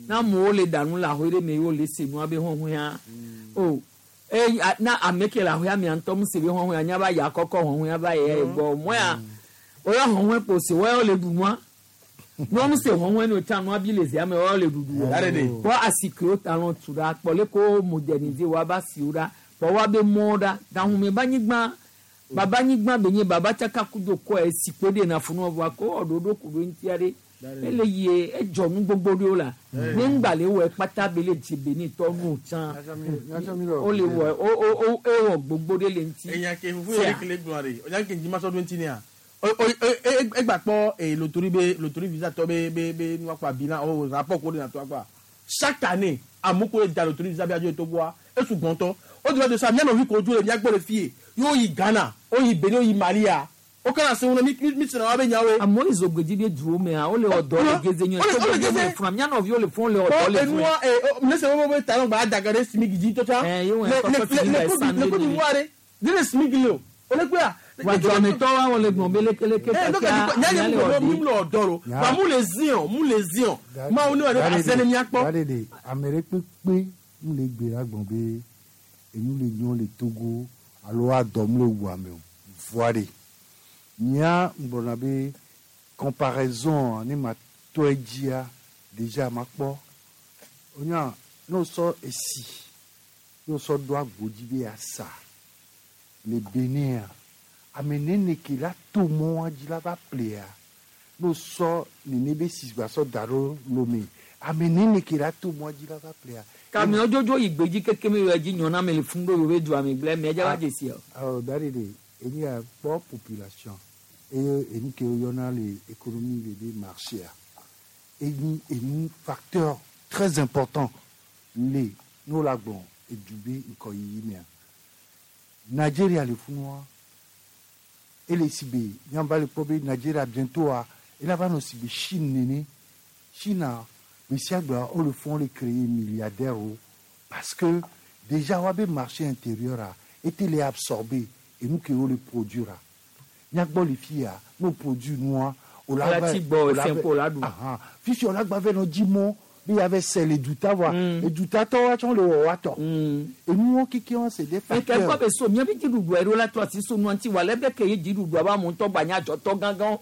na amewo le ɖa nu le ahoe ɖe me ye wole se nua be hɔhɔea o eye na ame ke le ahoea mea ŋutɔ mu se be hɔhɔea nya ba ya kɔkɔ hɔhɔea va ye gbɔ mɔya oyɔ hɔhɔe kpo se wɔyɔ le ɖu nua nyɔnu se hɔhɔe ne wotsa nua bi le zia me wɔyɔ le ɖuɖu wɔ kpɔ asikewo talɔ tu ɖa kpɔ le ko moderniser wa ba siwo ɖa kpɔ wa be mɔwo ɖa gahume ba nyigba baba nyigba be nye baba tsaka kudo kɔ esikpo ɖe na funu vɔa ko wɔ ɖoɖo ku ɖo ŋutia ɖe ele yie edzɔ nu gbogbo ɖewo la ne ŋgba le wɔ kpata be le dze be ne tɔ nu tsã o le wɔ o o o ewɔ gbogbo ɖe le ŋuti. Enya ke fufu yɛrɛ kele gblɔ de o nya ke njima sɔ do ŋuti nea o o e egba kpɔ e loterie be loterie visa tɔ be be be nua kpa bilan o rapport ko de na to akpa chaque année amewo ko le da loterie visa be adzo Togoa esu gbɔntɔ o de la de sa mia nɔvi ko dzo le mia gbɔ le fie y'o yi Ghana o yi Benin o yi Malia o kana se ŋu mi mi mi sena wa be nyawoe. Amewo le zogbedzi be duwo mea wole wɔ dɔ le geze nyuie Wole- wole Togo geze. le funa mia nɔviwo le fun le wɔ dɔ le fun. Enua e ne se wo be talon gba adaga ɖe simigi dzi tɔtsa. Ɛ, ye wɔn le kɔkɔ le simi le ba le san le de Côte ni. d'Ivoire ɖe ne le simigi le o o le kpea. Wadzɔametɔwo wole gblɔm be lekeleke Eh, donc, kakea nya nye amea le mu wɔ mi de. mu le ɔdɔ lo wa mu le zion mu le zion mawu ne wa ɖe ase ne mia kpɔ. Da ɖe ame ɖe kpekpe mu le gbe la gbɔn be enu le nyɔ le Togo alo adɔ mu le wu ame o voa ɖe mía ŋgblɔna be comparaison ne ma tɔ edzia déjà ma kpɔ wonya ne wosɔ esi ne wosɔ ɖo agbo dzi be asa le Benin ame nene ke la to mɔa dzi la va ƒlea ne wosɔ nene be si gba sɔ da ɖo Lome ame nene ke la to mɔa dzi la va ƒlea. Kamiɔ dzodzo yi gbedzi keke me yɔ dzi nyɔ na me le fun ɖo yewo be dua me gblẽ mɛ dza va dzesi o. Alors, da ɖe eni ya kpɔ population eye eni ke woyɔna le économie le be marché a eni enu facteur très important le ne wola gbɔn edu be ŋkɔyiyi mea Nigeria le funua ele si be nyamba le kpɔ be Nigeria bientôt a ela va nɔ si be Chine nene Chine a gbe sia gbea wole fún wole créer milliardaire o parce que déjà woabe marché intérieur a ete le absorber enu ke wole produire a miagbɔ le fi ya ne wo produire nua Ola ti gbɔ efɛn ko la ɖu. Fisi o la gba vɛ nɔ dzi mɔ be ya vɛ sɛ le duta wa edutatɔ wa tsɔ le wɔ wa tɔ enuwo keke wa c'est des Eke kɔ facteurs. be so mía be dziɖuɖua ɖo la to asi so nua ŋuti wa lɛ be ke ye dziɖuɖua ba amewo ŋutɔ gba nye adzɔtɔ gãgãwo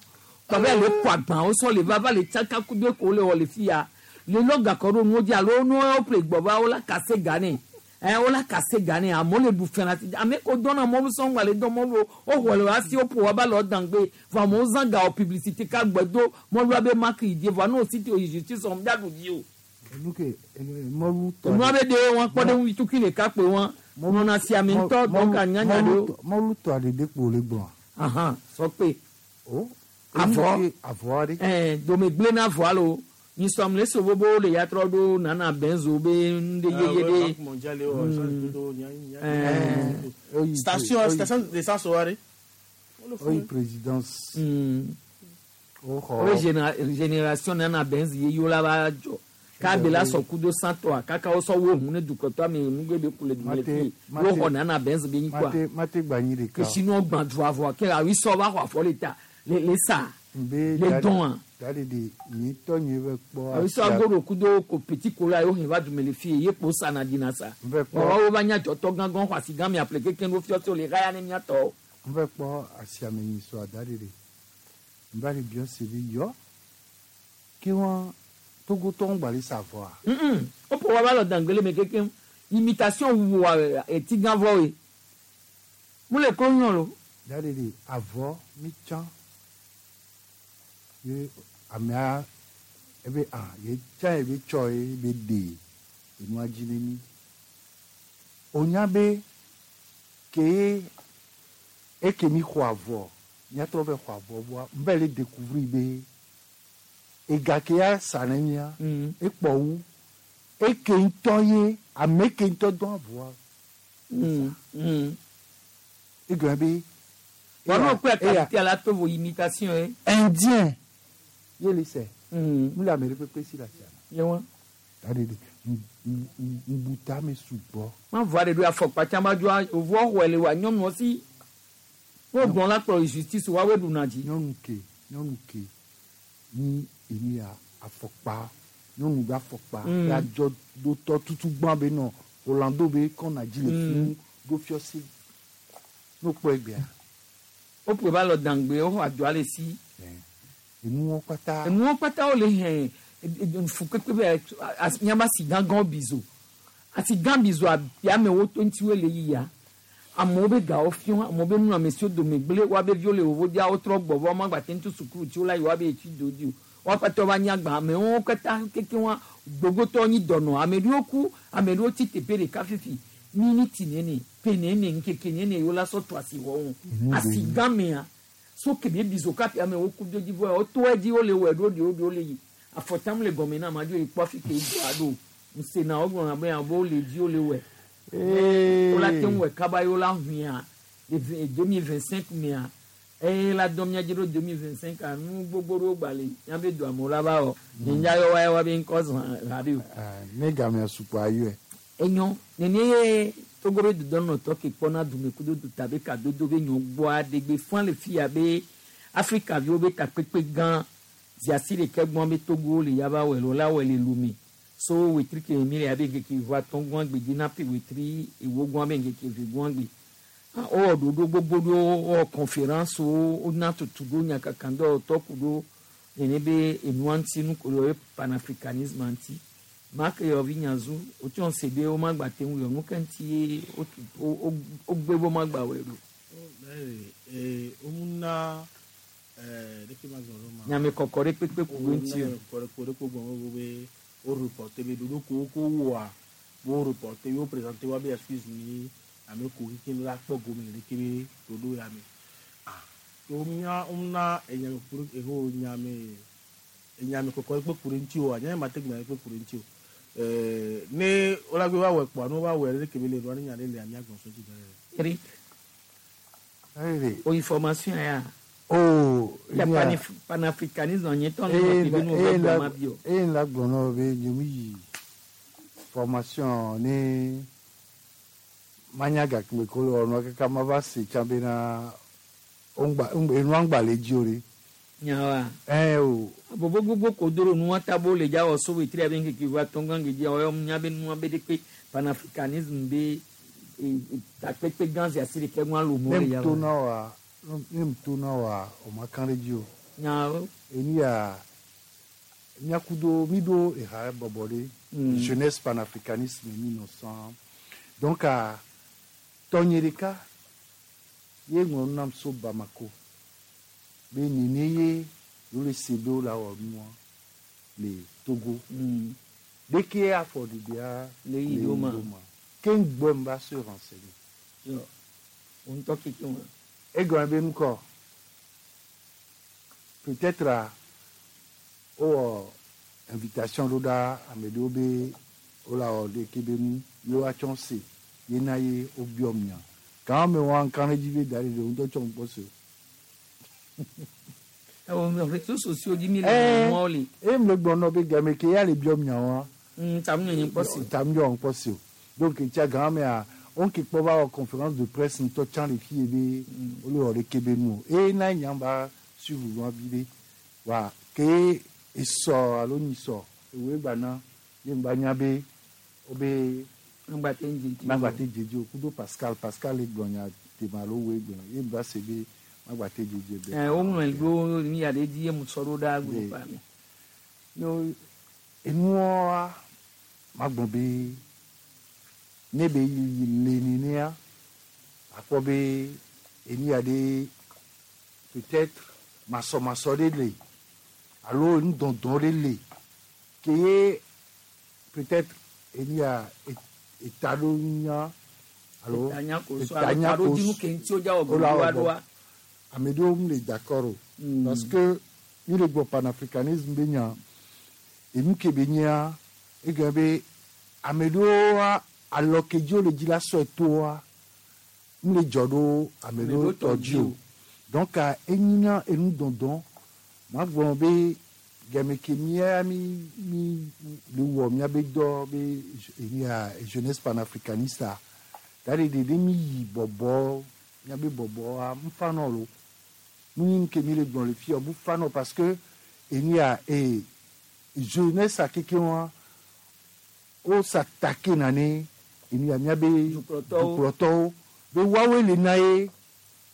kɔ be le kɔ agbawo sɔ le va va le tsaka kudo ko le wɔ le fi ya le lɔ gakɔ ɖo nuwo dzi alo nuwo ƒle gbɔ va wola kase ga nɛ ɛ wola kase ga nɛ amewo le ɖu fɛn la ti ame ko dɔna mɔlu sɔŋ gba le dɔn mɔlu o woxɔ le asi woƒo wa ba le ɔdangbe vɔ amewo zã ga wɔ publicité ka gbe do mɔlua be maki yi die vɔ ne o si te o yi justice wɔm dza ɖu dzi o. Enu ke mɔlu tɔ. Enua be de wọn kpɔ ɖe ŋu tukui ɖeka kpe wọn nɔna siame ŋutɔ donc anyanya ɖewo. Mɔlu tɔ aɖe de kpo le gblɔa. Ahan sɔ kpe. O. Avɔ avɔ aɖe. Ɛɛ domegble na avɔ alo nyisɔm le so bobo le ya trɔ ɖo nana benzo be nu ɖe yeye ɖe. Station station d'essence wa ɖe. Oyi présidence. O xɔ. Wo génération nana benz ye yewo la va dzɔ k'abe la sɔ kudo santɔa kaka wo sɔ wo hun ne dukɔtɔ ame nugbe be ku le du le fi wo xɔ nana benz be nyi kɔa. Mate mate gba nyi ɖeka. Kesinu gbã du avɔa ke awi sɔ va xɔ afɔ le ta le le sa Nbe le dɔn a. Dadi de nyi tɔ nyi bɛ kpɔ. Awi sɔ agodo kudo ko petit kola yewo hɛn va dume le fi ye kpo sa na dina sa. Nbɛ kpɔ. Wɔwɔ wo va nya dzɔtɔ gãgã xɔ asi gã mi aƒle keke no fiɔ tso le xaya ne miatɔ. Nbɛ kpɔ asiame nyi sɔ dadi de. Nba le biɔ se bi yɔ. Ke wɔn Togotɔwo gba le sa avɔa. Woƒo wa va lɔ dangbele me kekeŋ imitation wu eti gã vɔ ye. Mu le klo nyɔ lo. Dadi de avɔ mi tsã ye amea ebe ah ye tsã ye be tsɔ ye be ɖe enua dzi ne mi. O nya be ke ye eke mi xɔ avɔ miatrɔ vɛ xɔ avɔ vɔa nbɛ le découvrir be ega ke ya sa ne mia ekpɔ wu eke ŋutɔ ye ame ke ŋutɔ dɔn avɔa. Egɔme be. Wɔn n'o kpe qualité la to vo imitation ye. Indien ye le sɛ. Mu le ame ɖe kpekpe si le asia. Ye wa. Dadi de ŋbuta me sugbɔ. Ma vɔ aɖe ɖo afɔkpa tsã ma dzo ovɔ xɔe le wa nyɔnuɔ si. Wo gbɔn la kplɔ justice wa wo ɖuna dzi. Nyɔnu ke nyɔnu ke ni enu ya afɔkpa nyɔnu be afɔkpa ya dzɔ do tɔ tutu gbã be nɔ Orlando be kɔna dzi le funu ɖo fiɔsi n'o kpɔ egbea. Woƒe va lɔ dangbe woxɔ adzɔ ale si. Enuwo kpata. Enuwo kpata wole hɛn fukpekpe be miaba si gãgãwo bizo asi gã bizo amewo to ŋuti wo le yia amewo be gawo fiɔ amewo be nunɔamesiwo dome gblẽ woabe viwo le vovodia wotrɔ gbɔ vɔ woamagba te ŋuti sukulu tsi wo la yi woabe etsi do dzi o woakpata va nyi agba amewo katã keke wa gbogbotɔ nyi dɔnɔ ame ɖewo ku ame ɖewo tsi teƒe ɖeka fifi miniti nene pe nene ŋkeke nene yewo la sɔ to asi wɔ ŋu asi gã mea so kebe bizo kapi amewo ku do dzi vɔ woto edzi wole wɔ ɖo ɖewo ɖewo le yi afɔtam le gɔme na amadzo yi kpɔ afi ke do aɖo ŋusena wogblɔna be abo le dzi wole wɔ wola te ŋu wɔ kaba yi wola huia le 2025 mea eye la dɔn mía dzi ɖo 2025 nu gbogbo ɖewo gba le míabe do amewo la va wɔ nye yɔ wa wa be ŋkɔ zã ha ɖe o. Ne gamea sukua ayɔe. Enyo nene ye Togo be dudɔnɔtɔ ke kpɔna dume kudo duta be kadodo be nyɔ gbɔa ɖegbe fã le fia be Afrika viwo be takpekpe gã ziasi ɖeke gbɔn be Togo le yaba wɔ le la wɔ le Lome so wetri ke mi le abe ŋkeke eve atɔ̃ gbɔn gbe dzi na pe wetri ewo gbɔn be ŋkeke eve gbɔn gbe wowɔ ɖoɖo gbogbo ɖewo wowɔ conférence wo wona tutu ɖo nyakakadɔwɔtɔ ku ɖo nene be enua ŋuti nu ko le panafricanisme ŋuti make yɔvi nyazu wotsɔ se be womagba te ŋu yɔ nu ke ŋuti ye wogbe be womagba wɔe ɖo. Womuna ɖeke ma gblɔ ɖo ma. Nyamekɔkɔ ɖe kpekpe ku ɖo ŋuti o. Nyamekɔkɔ ɖe kpekpe gbɔn be wo reporter be ɖoɖo ko wo wɔa wo reporter wo présenter wa be excuse ni ame ko keke la kpɔ gome le ɖeke be ɖoɖo ya me. Ah womia womuna enyame ku ɖe eho nyame enyamekɔkɔ ɖe kpe ku ɖe ŋuti o anya ma te gbe ɖe kpe ku ɖe ŋuti o. Ne wola gbe va wɔ kpɔa ne wova wɔe ɖe ke be le ɖoa ne nya ɖe le mía gbɔn so dzi ɖe. Eric. O information ya. Oh, Ya panafricanisme nye tɔ ne ma pe nu va gbɔ ma bi o. Eye la gblɔ na wo be nye mu yi formation ne manya gake ko le wɔnua kaka ma va se tsã bena ŋgba enua ŋgba le dzi o ɖe. Nyawa. Ɛ o. Bobo gbogbo ko doro nua ta bo le dza wɔ so wetri abe ŋkeke va tɔn gã gedzi wɔ nya be nua be ɖe kpe panafricanisme be takpekpe gã zi asi ɖeke ŋua lomo le Ne ya mu to wɔ. na wa ne mu to na wa o ma kan ɖe dzi o. Nyawo. Enu ya miakudo mi ɖo eha bɔbɔ ɖe. Jeunesse panafricanisme mi nɔ sɔn. Donc a tɔnye ɖeka ye ŋlɔ nu nam so Bamako be nene ye yewo le se be wo la wɔ nua le Togo. Ɖeke afɔ ɖiɖia Le yi ɖo ma. Ke ŋgbɔ m va se renseigner. Yɔ. Wo ŋutɔ keke wa. Egɔme be ŋkɔ peut-être a wowɔ invitation ɖo ɖa ame ɖewo be wola wɔ ɖeke be nu ye woatsɔ se ye na ye wobiɔ mia. Gã me wa ŋka ɖe dzi be da ɖe ɖe ŋutɔ tsɔ ŋkpɔ se o. Ewɔ réseaux sociaux dzi mi le Eh, nuawo le. e me gblɔ nɔ be game ke ya le biɔ miawoa. Tamu nye ŋkpɔ se o. Tamu nye ŋkpɔ se o. Donc tsa gã mea wo ke kpɔ va wɔ conférence de presse ŋutɔ tsã le fi ye be wole wɔ ɖeke be nu o. Eye na nya va suivre nua vi ɖe. Wa ke esɔ alo nyisɔ ewoe gba na ye ŋgba nya be wobe Magba te dze dzi o. magba te dze dzi o. Kudo Pascal, Pascal le gblɔ nya tema alo woe gblɔ ye ŋgba se be magba te dze dzi be. Ɛ woŋlɔe ɖo mi ya ɖe dzi ye mu sɔ ɖo ɖa groupe me. No enuwoa magblɔ be ne be yi le nenea akpɔ be enu ya ɖe peut-être masɔmasɔ ɖe le alo nudɔdɔ ɖe le ke ye peut-être enu ya etaɖonya alo Etanya ko so alo taɖodzinu ke ŋuti wodza wɔ wola gbogbo wɔ aɖoa. Ame ɖewo mu le d'accord o parce que mi le gbɔ panafricanisme be nya enu ke be nyea egɔme be ame ɖewoa alɔ ke dzi wole dzi la sɔe toa mu le dzɔ ɖo ame ɖewo tɔ dzi o. Donc enyina enu dɔdɔ magblɔ be game ke mía mi mi le wɔ míabe dɔ be enu ya jeunesse panafricaniste a da ɖe ɖe mi yi bɔbɔ míabe bɔbɔa mu fa nɔ lo nu yi ke mi le gblɔ le fia mu fa nɔ parce que enu ya ee jeunesse a keke wa wo s'attaquer na ne enu ya míabe dukplɔtɔwo be woawoe le na ye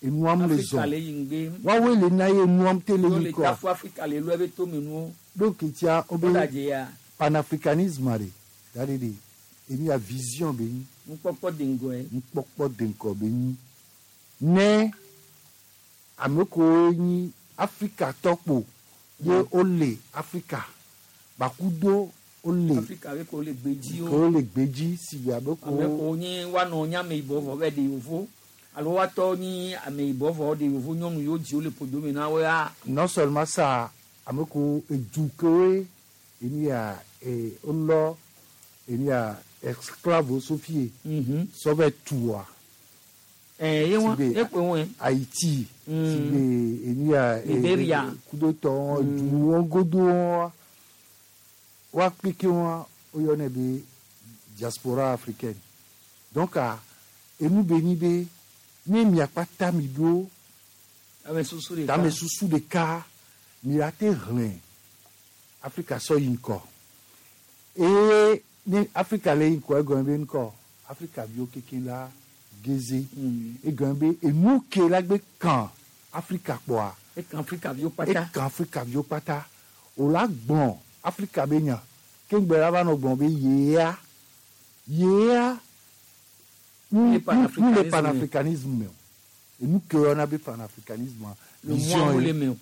enuam le Afrika zɔn le yi ŋgbe. woawoe le na ye enuam te le Wo yi le kɔ tafu Afrika le lɔ ebe tome nuwo. donc tia wo be Wodadze ya. panafricanisme ɖe da ɖe ɖe enu ya vision be nyi. Nukpɔkpɔ de ŋgɔe. Nukpɔkpɔ de ŋgɔ be nyi ne ame kewo nyi Afrikatɔ kpo ye wole Afrika bakudo wole Afrika be ko le gbedzi ke wo. wole gbedzi si be abe Ame ko ko nye woanɔ nye ameyibɔ vɔ be ɖe yevo alo woatɔ nyi ameyibɔ vɔ ɖe yevo nyɔnu yiwo dzi wole ƒodo me na wo ya. Non seulement ça, ame kewo edu kewoe enu ya ee wolɔ enu ya esclave so fie sɔ vɛ tua. Ɛɛ ye wa Si be ye koe wɔe. Haïti si be enu ya Liberia. kudotɔ duwo godo wa wa kpeke wa woyɔnɛ be diaspora africaine. Donc a enu be nyi be ne miakpata mi ɖo Ame susu ɖeka. tame susu ɖeka mi la te hlẽ Afrika sɔ yi ŋkɔ eye ne Afrika le yi ŋkɔ egɔme be ŋkɔ Afrika viwo kekeŋ la geze egɔme be enu ke la gbe kan Afrika kpɔa Ekan Afrika viwo kpata. ekan Afrika viwo kpata o la gblɔ Afrika be nya ke ŋgbɛ la va nɔ gblɔ be yea yea nu Le nu le panafricanisme. panafricanisme me o enu ke woyɔna be panafricanisme Le mɔ le me o.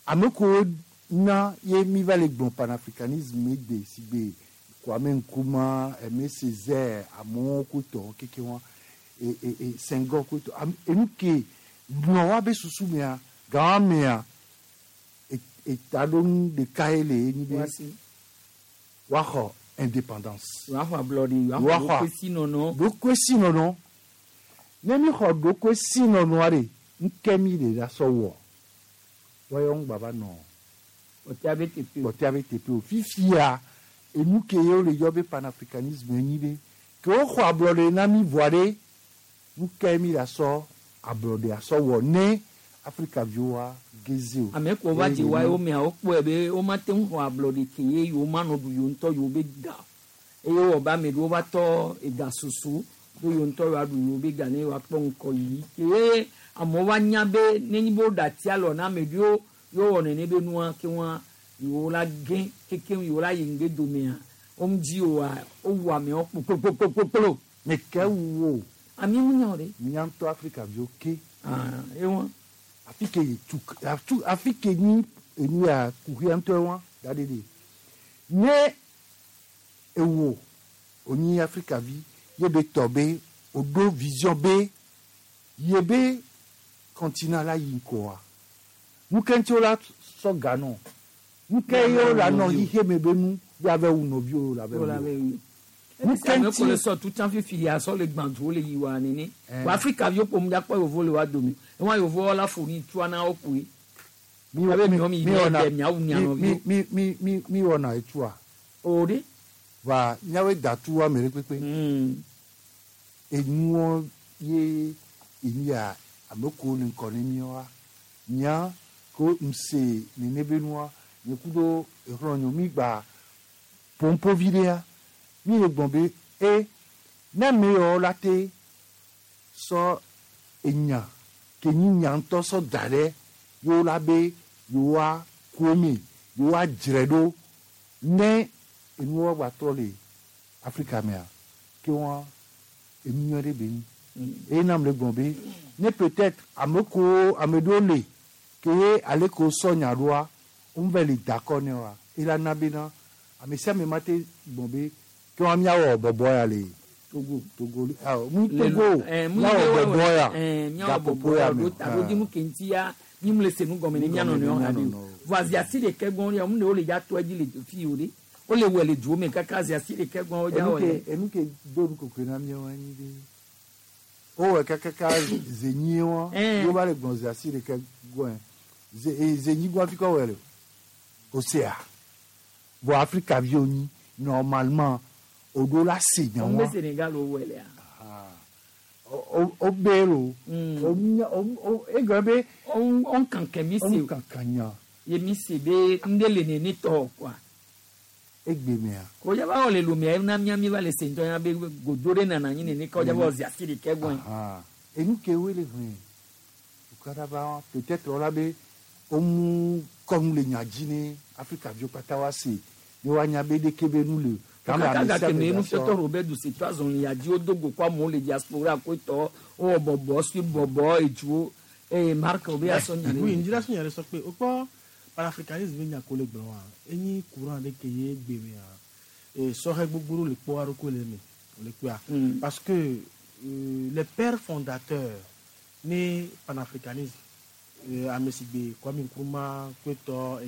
Ame kewo na ye mi va le gblɔ panafricanisme egbe si be Kwame Nkrumah, Aimé Césaire, amewo kotɔ keke wa e e e Senghor kotɔ enu ke nɔ wa be susu mea gã mea etaɖonu ɖeka ye le ye nyi be Woasi. woaxɔ indépendance. Woaxɔ ablɔɖe woaxɔ Woaxɔ ɖokuisinɔnɔ. Ɖokuisinɔnɔ ne mi xɔ ɖokuisinɔnɔa ɖe ŋke mi le la sɔ wɔ wɔyɔ ŋgba va nɔ Kpɔtɔa be teƒe o. Kpɔtɔa be teƒe o. Fifia enu ke ye wole yɔ be panafricanisme nyi be ke woxɔ ablɔɖe na mi vɔa ɖe ŋke mi la sɔ ablɔɖe asɔ wɔ ne Afrika viwoa geze o. Ame ko va dzi wa yewo mea wokpɔe be womate ŋu xɔ ablɔɖe ke ye yewo manɔ ɖu yewo ŋutɔ yewo be ga eye wowɔ be ame ɖewo va tɔ ega susu be yewo ŋutɔ yewoaɖu yewo be ga ne yewoakpɔ ŋkɔyiyi ke ye amewo va nya be nenye be woɖe ati alɔ na ame ɖewo yewo wɔ nene be nua ke ŋua yewo la ge kekeŋ yewo la yi ŋgbe domea womedzi oa wowu amewo kpokpokpokpokplo. Me ke wu wo. Ami ŋu nya o ɖe. Mía ŋutɔ Afrika viwo ke. Ah, ewa. Afi ke tu atu afi ke nyi enu ya kuxia ŋutɔ wa da ɖe ɖe. Ne Ewo onyi Afrika vi ye be tɔ be o ɖo vision be ye be continent la yi ŋkɔa. Nu ke ŋuti wola sɔ ga nɔ. Nu ke ye wola nɔ xixe me be nu be ave wu nɔviwo la ve wu. Nu ke ŋuti le sɔ tutan fifi ya sɔ le gbãdu le yi wa nene. Wa Afrika viwo ƒom ɖa kpɔ yevo le wa dome. Ewa yevo la fo ni tua na wo koe. Mi mi wɔna etua. O de. Wa miawoe da tu ame ɖe kpekpe. Enuwo ye enya ame ko le ŋkɔ ne miawoa. Nya ko ŋse nene be nua nye ku ɖo exlɔ mi gba pompovi ɖea mi le gbɔn be e ne ame yawo la te sɔ enya ke nyi nya ŋutɔ sɔ da ɖe yewo la be yewoa ku eme yewoa dzre ɖo ne enuwo gba trɔ le Afrika mea ke wa enu nyuie ɖe be nyi eye nam le gbɔn be ne peut-être ame ko ame ɖewo le ke ye ale ko sɔ nya ɖoa womve le dakɔ ne wa ela na bena ame sia ame ma te gbɔn be ke wa miawɔ bɔbɔ ya le Togo Togo mu Togo miawɔ bɔbɔ ya gaƒoƒo ya me taɖodzinu ke ŋuti ya mi mu le se nu gɔme ne mianɔ nɔewo hã ɖe o vɔ aziasi ɖeke gbɔn ya mu ne wole dza tɔ edzi le fi o ɖe wole wɔ le duwo me kaka aziasi ɖeke gbɔn wo dza wɔ yɛ. Enu ke do nu kokoe na miawo anyi be wowɔ kakaka zenyi wa yewo va le gbɔn ziasi ɖeke gbɔn zenyi gbɔn fi kɔ wɔ le o sea vɔ Afrika viwo nyi normalement o ɖo la se nya wa. O Senegal o wɔ lea. O bɛ lo o nya o egbe be. O kankan mi se o kankan nya. Ye mi se be n de le nene tɔ quoi. Egbe mea. Ko ya ba le lumia na mia mi va le se ntɔ ya be godo ɖe nana anyi nene kɔ ya ba ziasi ɖeke gbɔn. Enu ke wo le hɛn ukara ba peut-être wala be o mu kɔnu le nya dzi ne Afrika viwo kpata wa se ne wa nya be ɖeke be nu le. Kaka gake me nufiɔtɔ Robert Dussey to azɔli ya dzi wodo go kɔ amewo le diaspora ko tɔ wowɔ bɔbɔ si bɔbɔ etsuwo eye Marc obe asɔ nya ɖe. Oui, ndira sɔ nya ɖe sɔ kpe o kpɔ panafricanisme nya ko le gblɔ wa enyi courant ɖe ke ye gbe mea sɔhɛ gbogbo ɖewo le kpɔ aɖokui le eme le kpea parce que les pères fondateurs ne panafricanisme ame si gbe Kwame Nkrumah kpetɔ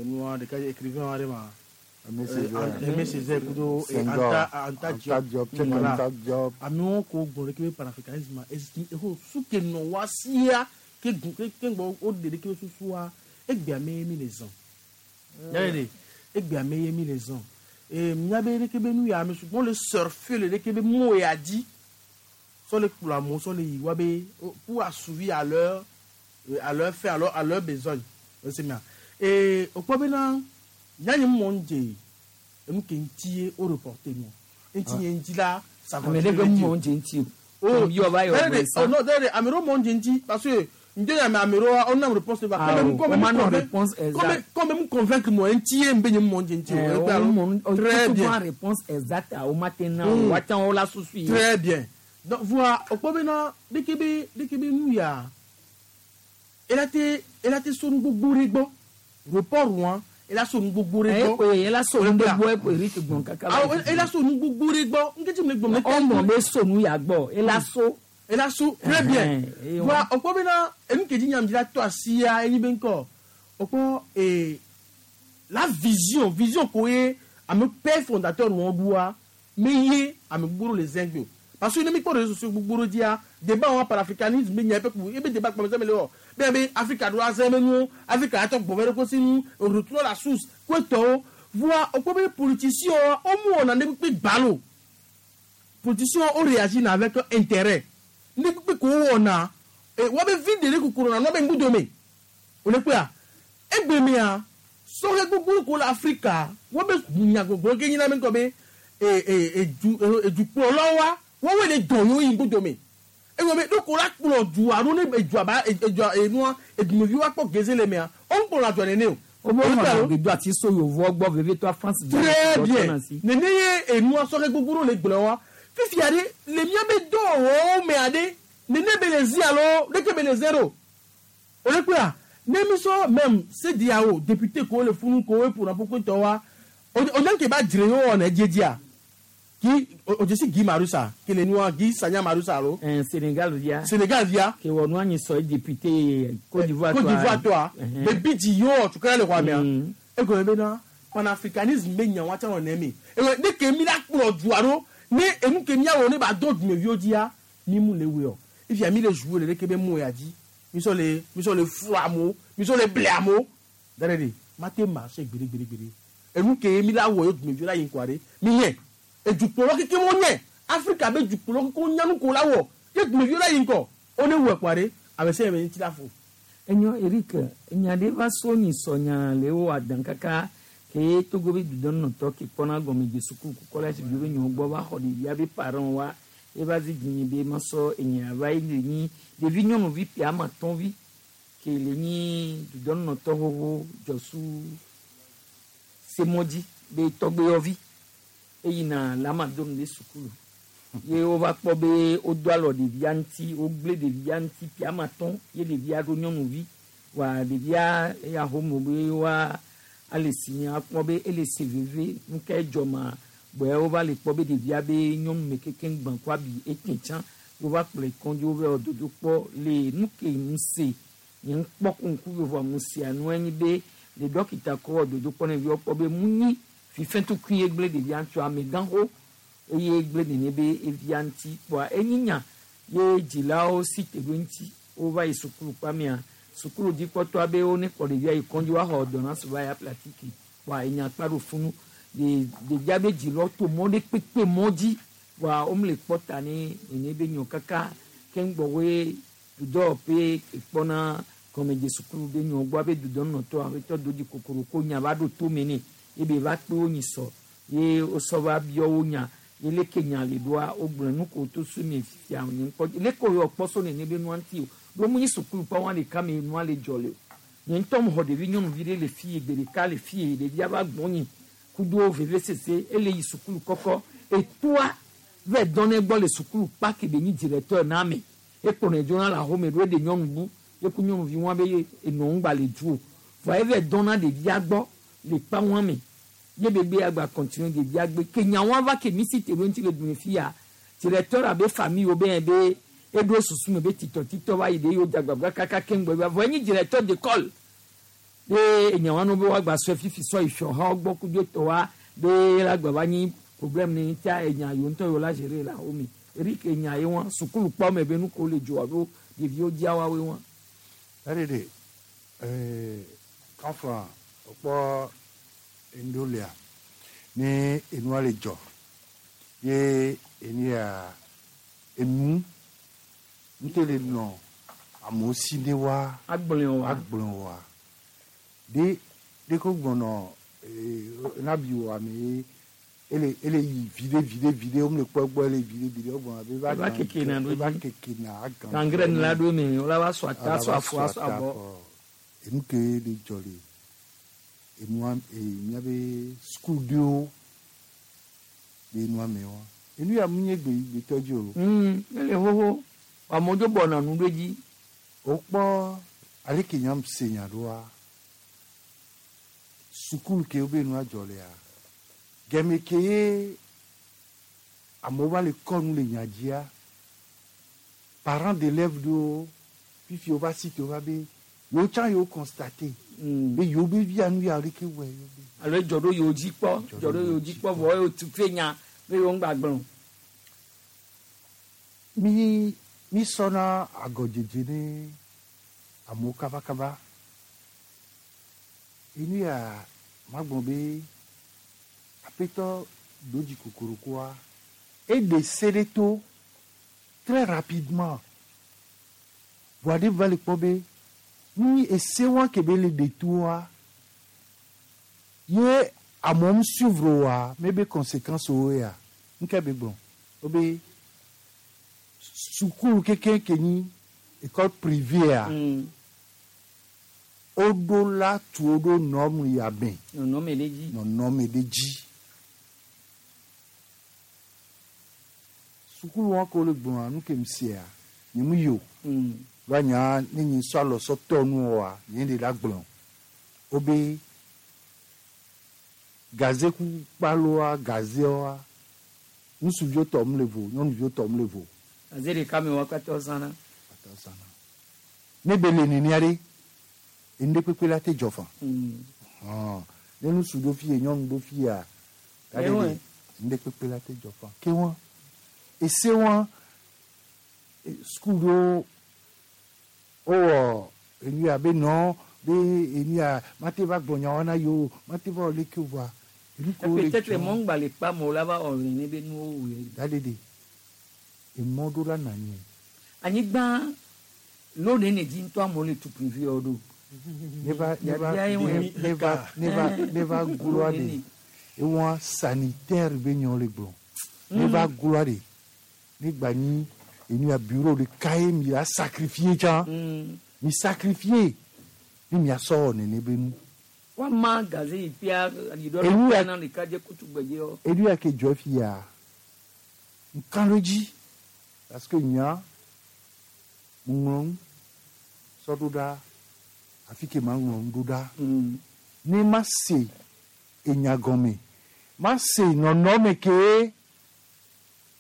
nua ɖeka écrivain aɖe ma. Aimé Césaire kudo Anta Diop voilà amewo ko gblɔ ɖeke be panafricanisme exo su ke nɔ wa sia ke gu ke ke gbɔ wo ɖe ɖeke be susua egbea me ye mi le zã yalɛ de egbea me ye mi le zã ee miabe ɖeke be nu ya ame sugbɔ le surfer le ɖeke be mɔ ya dzi sɔ le kplɔ amewo sɔ le yi wa be pour assouvir à leur faim à leur besoin ese mia ee o kpɔ bena yanyi mɔ ń dze enu ke ŋuti ye o reporté nu ŋuti ye ŋuti la ame ɖe be mɔ ń dze ŋuti o o yɔ va yɔ gblẽ sa oh non dɛ ame ɖewo mɔ ń dze ŋuti parce que ŋdze ame ame ɖewo o nam réponse va o ma nɔ réponse exacte comme mu convaincre mɔ ŋuti ye ŋbe nye mɔ ń dze ŋuti o très bien réponse exacte o ma te na o wa tsã o la susu ye très bien donc voilà o kpɔ bena ɖeke be ɖeke be nu ya ela te sonu gbogbo ɖe gbɔ report wa. Ela so nu gbogbo ɖe gbɔ. Ela so nu gbogbo eƒe Eric gbɔn kaka. Ela so nu gbogbo ɖe gbɔ nketi mi gbɔn. Ɔmɔ be so nu ya gbɔ ela so. Ela so très bien. Wa o kpɔ bena enu kedzi nyam dzi la tɔ asia enyi be ŋkɔ o kpɔ ee la vision ko ye ame père fondateur wɔn ɖua me ye ame gbogbo le zɛn gbe o parce que ne mi kpɔ réseaux sociaux gbogbo ɖe dzia débat wa panafricanisme be nya eƒe ku ebe débat kpɔmɛ sɛmɛ le wɔ bẹ́ẹ̀ bẹ Afrika do azɛ bɛ nu Afrika yàtọ̀ gbɔmɛ ɖe kosi nu retour la source ko tɔwo voa o ko bɛ politicien o mu wɔna ne kpe gbalo politicien o réagit na avec intérêt ne kpe ko wɔna wa bɛ vi de ne kokoro na n'o bɛ ŋgudo me o le kpea egbe mea sɔhɛ gbogbo ko la Afrika wa bɛ nyagbogbo ke nyina mi kɔ be edukplɔlawo wa wɔn wele dɔn yóò yi ŋgudo me ewɔ me ɖoko la kplɔ du alo ne edua ba edua enua edumevi wa kpɔ geze le mea o ń kplɔ adzɔ nene o. O b'o ma gbedo ati so yovoa gbɔ veve to France. Très bien nene ye enua sɔhɛ gbogbo le gblɔ wa fifia ɖe le mía be dɔwɔwɔwo mea ɖe nene be le zi alo ɖeke be le zero o le kpea ne mi sɔ même CEDEAO député ko le funu ko ƒona ƒoƒo tɔ wa O ke ba dzre wo wɔna edziedzia ki o dzesi Guy Marusa ke le nua Guy Sagna Marusa alo. Sénégal via. Sénégal via. Ke wɔ nua nyi sɔ ye député Côte d'Ivoire Côte d'Ivoire tɔa. Bebi dzi yi wɔ tukala le xɔa mea. Egɔme bena panafricanisme be nya wa tsã nɔ nemi. Egɔme ne ke mi la kplɔ dua ɖo ne enu ke miawɔ ne ba do dumeviwo dzia mi mu le wɔe o. Efia mi le jouer le ɖeke be mo ya dzi. Mi sɔ le mi sɔ le flu amewo mi sɔ le ble amewo. Da ɖe ɖe mate marcher gbeɖe gbeɖe gbeɖe. Enu ke mi la wɔ ye dumeviwo la yi ŋkɔa ɖe mi nye edukplɔlawo kekem wonye Afrika be dukplɔlawo kekem wonya nu ko la wɔ ye dumeviwo la yi ŋkɔ wo ne wɔe kɔa ɖe ame sia ame ŋuti la fo. Enyo Eric, enya ɖe va so nyi sɔ nya le wo adan kaka ke Togo be dudɔnɔtɔ ke kpɔna gɔme dze suku ku collège viwo be nyɔwo gbɔ va xɔ ɖevia be parents wa eva zi dzinye be masɔ enya va yi le nyi ɖevi nyɔnuvi ƒe ame atɔ̃ vi ke le nyi dudɔnɔtɔ xoxo dzɔsu semɔdzi be tɔgbeyɔvi eyina le amadonu be sukulu ye wova kpɔ be wodo alɔ ɖevia ŋuti wogblẽ ɖevia ŋuti ƒe ame atɔ̃ ye ɖevia ɖo nyɔnuvi wa ɖevia eya home be wa ale si nye akpɔ be ele se veve nu ka edzɔ ma gbɔe wova le kpɔ be ɖevia be nyɔnu me kekeŋ gbã kɔ abi ete tsã wova kplɔe kɔdzi wova wɔ dodo kpɔ le nu ke ŋu se nye ŋkpɔ ku ŋku vovoa ŋu sea nua nyi be le dɔkita kɔ wɔ dodo kpɔ ne ɖeviwo kpɔ be mu nyi fifɛtukui ye gblẽ ɖevia ŋuti amegãxo eye gblẽ nene be evia ŋuti kpɔa enyi nya ye dzilawo si te ɖo ŋuti wova yi sukulu kpamea sukulu dzikpɔtɔa be wo ne kplɔ ɖevia yi kɔdzi woaxɔ ordonnance va ya platike kpɔa enya kpa ɖo funu de ɖevia be dzilawo to mɔ ɖe kpekpe mɔ dzi kpɔa womele kpɔ ta ne nene be nyɔ kaka keŋ gbɔwoe dudɔwɔƒe ekpɔna gɔmedze sukulu be nyɔ gbɔ abe dudɔnɔtɔ aƒetɔ dodzi kokoroko nya va ɖo tome nɛ ebe va kpe wo nyi sɔ ye wosɔ va biɔ wo nya ye leke nya le ɖoa wogblɔ nu ko to so mi fifia nye ŋkpɔ leke wo kpɔ so nene be nua ŋuti o ɖo mu nyi sukulu kpɔ wa ɖeka me nua le dzɔ le o nye ŋutɔ mu xɔ ɖevi nyɔnuvi ɖe le fi gbe ɖeka le fi ɖevia va gbɔ nyi kudo veve sese ele yi sukulu kɔkɔ etoa vɛ dɔn ne gbɔ le sukulu kpa ke be nyi directeur na ame ekplɔnɛ dzona le axome ɖo eɖe nyɔnu bu yeku nyɔnuvi wa be enɔ ŋgba le du o vɔa evɛ dɔn na ɖevia gbɔ le kpa wa me ye bebe agba continue ɖevia gbe ke nya wa va ke mi si te ɖo ŋuti le du fia directeur abe famille wo be be eɖo susu me be titɔ titɔ va yi ɖe yewo dzagbagba kaka keŋ gbɔ vɔ enyi directeur d'école be enya wa no be woagba sɔe fifi sɔ yi fiɔhawo gbɔ kudo etɔ wa be la gba va nyi problème ne tia enya yiwo ŋutɔ yiwo la gérer la wo me Eric enya ye wa sukulu kpɔ me be nu ko le dzɔ alo ɖeviwo dzia woawoe wa. Ɛɖeɖe kafra kpɔ endolia ne enua le dzɔ ye enia enu ŋutɔ le nɔ amewo si ne wa agblẽ wa agblẽ wa de de ko gbɔnɔ nabi wɔ ame ye ele ele yi viɖe viɖe viɖe wo le kpɔ gbɔ ele viɖe viɖe wo gbɔna be eva keke na ɖo eva keke na agã gangrene la ɖo eme wola va sɔ ata sɔ afɔ asɔ abɔ. Enu ke le dzɔ le enua míabe sukuviwo le enua me wa enu ya mu nye gbe gbetɔ dzi o. Ele xoxo amewo dzo bɔna nu ɖe dzi. Wokpɔ aleke nyam se nya ɖoa sukulu ke wobe nua dzɔ lea gɛmɛ ke ye amewo va le kɔ nu le nya dzia parents d'élèves ɖewo fifi wova si te wova be yewo tsã yewo constate be yewo be via nu ya leke wɔe yewo be. Alo dzɔ ɖo yewo dzi kpɔ dzɔ ɖo yewo dzi kpɔ vɔ yewo tu fe nya be yewo ŋgba gblɔ. Mi mi sɔna agɔdzedze ne amewo kabakaba enu ya magblɔ be aƒetɔ dodzi kokorokoa eɖe se ɖe to très rapidement voa ɖe va le kpɔ be nu ese wa ke be le ɖe toa ye amewo mu suivre oa mebe conséquence wo ya nke be gblɔ wo be sukulu keke ke nyi école privée a woɖo la tu wo ɖo norme ya me nɔnɔme ɖe dzi nɔnɔme ɖe dzi sukulu wa ko le gblɔa nu ke sia nye mu yi o va nya ne nyi sɔ alɔ sɔ tɔ nu oa nye ɖe la gblɔ wo be Gaze ku kpaloa gazewoa ŋutsuviwo tɔ mu le vo nyɔnuviwo tɔ mu le vo. Gaze ɖeka me wa katã zãna. Ne be le nenea ɖe enu ɖe kpekpe la te dzɔ fã. Hɔn ne ŋutsu ɖo fi ye nyɔnu ɖo fi ya ta ɖe ɖe enu ɖe kpekpe la te dzɔ fã. Ke wa ese wa sukulu ɖewo wowɔ enu ya be nɔ be enu ya mate va gblɔ nyawo na yewo mate va wɔ leke o vɔa enu kewo le Peut-être dzɔ. mɔ ŋgba le kpa me o la va wɔ nene be nuwo wui. Da ɖe ɖe emɔ ɖo la na anyi. Anyigba lo nene dzi ŋutɔ amewo le tu privé wo ɖo. Ne va ne va Biabia ye wɔe. ne va ne va ne va gloa ɖe ewɔ sanitaire be nyawo le gblɔ. Ne va gloa ɖe ne gba nyi enu ya bureau ɖeka ye mi la sacrifier tsã. Mi sacrifier ne miasɔ wɔ nene be nu. Woama gaze yi pia yi ɖɔ Enu ya- na ɖeka dze kutu gbedze yɔ. Enu ya ke dzɔ fi ya ŋka ɖo dzi parce que nya ŋlɔ nu sɔ ɖo ɖa afi ke ma ŋlɔ nu ɖo ɖa. Ne ma se enya gɔme ma se nɔnɔme ke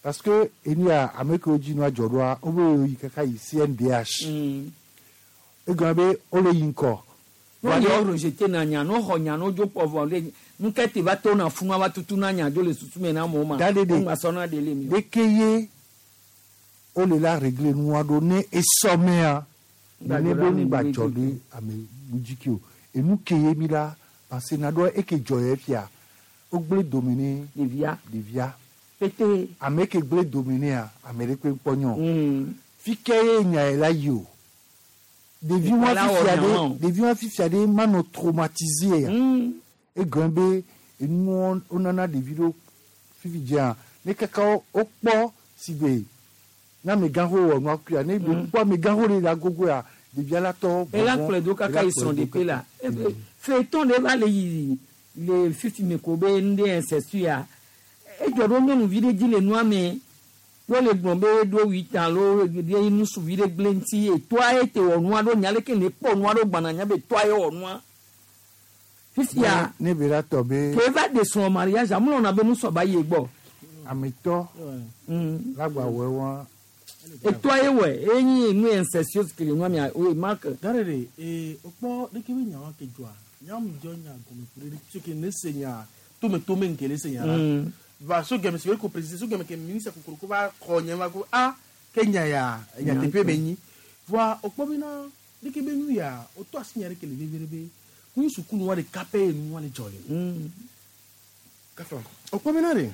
parce que enu ya ame kewo dzi nua dzɔ ɖoa wobe yi kaka yi CNDH. Egɔme be wole yi ŋkɔ. No yɔ rejeté na nya no xɔ nya no dzo kpɔ vɔ le nu ke te va to na funu va tutu na nya dzo le susu me na amewo ma. Da ɖe ɖe. Wo ŋgba sɔ na ɖe le mi o. Ɖeke ye wole la réglé nua ɖo ne esɔmea Ŋgba nene dzɔ be ɖe ame ŋgba bu dzɔ dzi. ɖe ame bu dzi ke o enu ke ye mi la parce na ɖo eke dzɔ ye fia wogblẽ dome ne ɖevia ɖevia pete ame ke gblẽ dome nea ame ɖe kpe kpɔ nyɔ fi ke ye nya ye la yi o ɖevi wa La wɔ fifia nya ɖe ma o. ɖevi wa fifia ɖe manɔ traumatisé ya egɔme be enuwo wonana ɖevi ɖewo fifi dzea ne kaka wokpɔ si be ne amegãxo wɔ nua kuia ne be kpɔ amegãxo ɖe le agogo ya ɖevia la tɔ ela vɔvɔ̃, kplɔe do kaka ela yi kplɔe srɔ̃ do ɖeƒe la fetɔn ɖe va le yi le fifi me ko be nu ɖe incestu ya edzɔ ɖo nyɔnuvi ɖe dzi le nua me yɔ le gblɔ be ɖo huit ans lo ɖe nusuvi ɖe gblẽ ŋuti etoa ye te wɔ nua ɖo nya leke ne kpɔ nua ɖo gbana nya be toa ye wɔ nua fifia ne be la tɔ be ke va de srɔ̃ mariage amlɔna be nusɔ ba yi gbɔ ametɔ la gba wɔ wa etoa ye wɔ enyi nu incestueuse ke le nua mea oye mark Gare de ee okpɔ ɖeke be nyawa ke dzɔa nyamu dzɔ nya gɔme ku ɖe tso ke ne se nya tome tome nke le se nya la va so gɛmɛ si ko président so gɛmɛ ke ministre kokoroko va xɔ nye va ko a ke nya ya nya teƒe be nyi voa okpɔ bena ɖeke be nu ya wotɔ asi nya ɖe ke le vevie ɖe be ku sukulu wa ɖeka pɛ ye nu wa le dzɔ le kafa okpɔ bena ɖe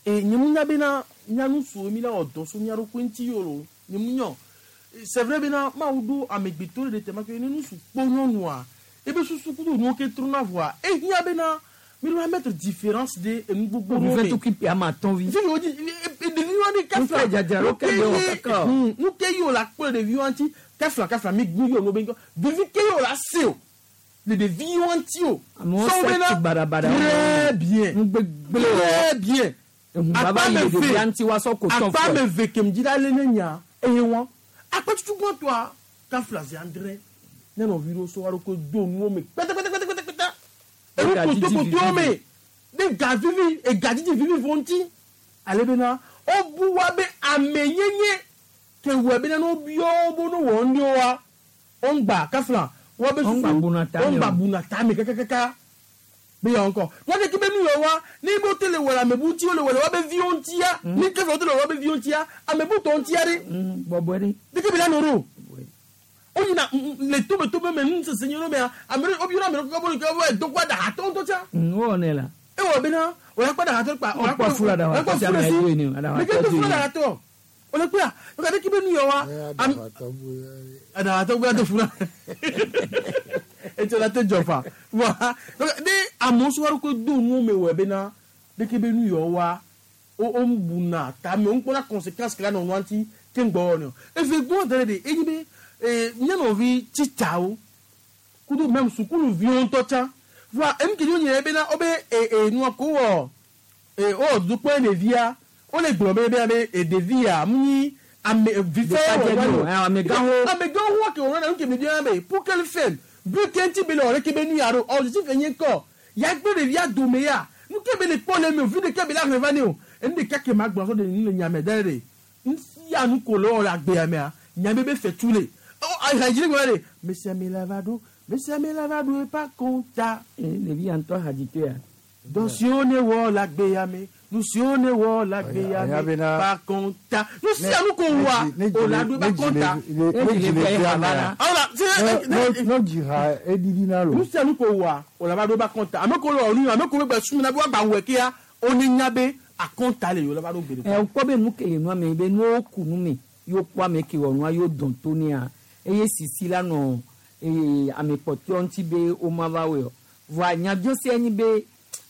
e nye mu nya bena nyanusuwo mi la wɔ dɔ so mía ɖokui ŋuti yio lo nye mu nyɔ c'est vrai bena mawu ɖo amegbetɔ ɖe tema ke ne nusu kpɔ nyɔnua ebe susu kudo nuwo ke trona voa ehiã bena mi ɖo la mettre différence de enu gbogbo ɖewo Ɖevi me. tukui ƒe ame atɔ̃ vi. Fi wo dzi ɖevi wa ɖe Nu ke dzadzra ɖo ke ɖe wɔ kaka o. nu ke yi o la kpɔ le ɖevi wa ŋuti kafla kafla mi gbu yi o no be ŋkɔ ɖevi ke yi o la se o le ɖevi wa ŋuti o. Amewo Sɔwo se bena tsi baɖabaɖa. Très bien. Nugbegblẽ wɔ. Très bien. Baba yi ɖevia ŋuti woasɔ ko tɔn Akpa fɔ. ame ve kem dzi la lé ne nya eye wɔn. Akpa tutu gbɔtɔa kafla zi andre ne nɔvi ɖewo sɔ wa ɖo ko do nuwo me kpɛtɛkpɛtɛkpɛtɛkpɛtɛ. Enu Ega dzidzi kotokotowo vivi. me ne ga vivi ega dzidzi vivi vɔ ŋuti ale bena wobu wa be amenyenye ke wɔ bena ne wobiɔ wo bo ne wɔ ŋɖewo wa woŋgba kafla wa be Woŋgba buna tame o. woŋgba buna tame kakakaka be yawo ŋkɔ wa ɖeke be nu yɔ wa ne bo te le wɔ le amebu ŋuti wo le wɔ le wa be viwo ŋutia ne kefla wo te le wɔ wa be viwo ŋutia amebu tɔ ŋutia ɖe bɔbɔe ɖe ɖeke be la nɔ ɖo woyina le tome me nusese nyɔnu mea ame ɖe wobiɔ na ame ɖe kɔkɔ bɔ ke wo do kɔ ɖahatɔ ŋutɔ tsa Wowɔ nɛ la. ewɔ bena wòle kpɔ ɖahatɔ kpa Wokpɔ fula ɖahatɔ wòle tsa kpɔ ame fula si edoe ne o, ɖahatɔ leke to doe fula ne. ɖahatɔ wòle kpɔa wòle ɖeke be nu yɔ wa ɖahatɔ gbea to fula etsɔ la te dzɔ fa wa donc ne amewo sɔ wa ko do nuwo me wɔ bena ɖeke be nu yɔ wa wo wo buna tame wo kpɔna conséquence ke la nɔ nua ŋuti ke ŋgbɔ wɔ ne o eve gbɔ da ɖe de enyi be ee mía nɔvi tsitsawo kudo même sukuluviwo ŋutɔ tsã voa enu ke nye bena wobe ee ee nua ko wɔ ee wowɔ dodokpɔ ɖevia wole gblɔ be bena be ee ɖevia mu nyi ame vifɛ Ɖekadze wɔ vi o, amegãwo. amegãwo wa ke wɔna nu ke me bia be pour quel fait but ke ŋuti be le wɔ ɖeke be nu ya ɖo objectif enye kɔ Ya gbe ɖevia dome ya. Nu ke be le kpɔ le eme o, vi ɖeka be la hlẽ va ne o. Enu ɖeka ke ma gblɔ sɔ ɖe nu le nya me da ɖe. Ŋutia nu ko le wɔ le agbea mea, nya be be fetu le. Ɔ ahadzi le gblɔ ɖe. Mesiame la va ɖo, mesiame la va ɖo eƒe akɔnta. Ɖevi ya ŋutɔ hadzitɔea. Dɔ siwo ne wɔ le agbea me, nu siwo ne wɔ le agbea Anya me, bena- ƒe akɔnta. Nu sia nu ko wɔa, o la ɖo eƒe akɔnta. ne dzi le fia mea ne dzi ha eɖiɖi na lo Nu sia nu ko wɔa, o la va ɖo eƒe akɔnta. Ame ko le wɔ nu, ame ko be gbe sum na be woagba wɔe kea, wo ne nya be akɔnta le yewo la va ɖo gbe ɖeka. Ɛ wokpɔ be nu ke le nua me be nuwo ku nu me yewo kpɔ ame ke wɔ nua yewo dɔn to nea eye sisi la nɔ eye ame kpɔtɔewo ŋuti be woma va wɔe o. Vɔa nyabiɔsia nyi be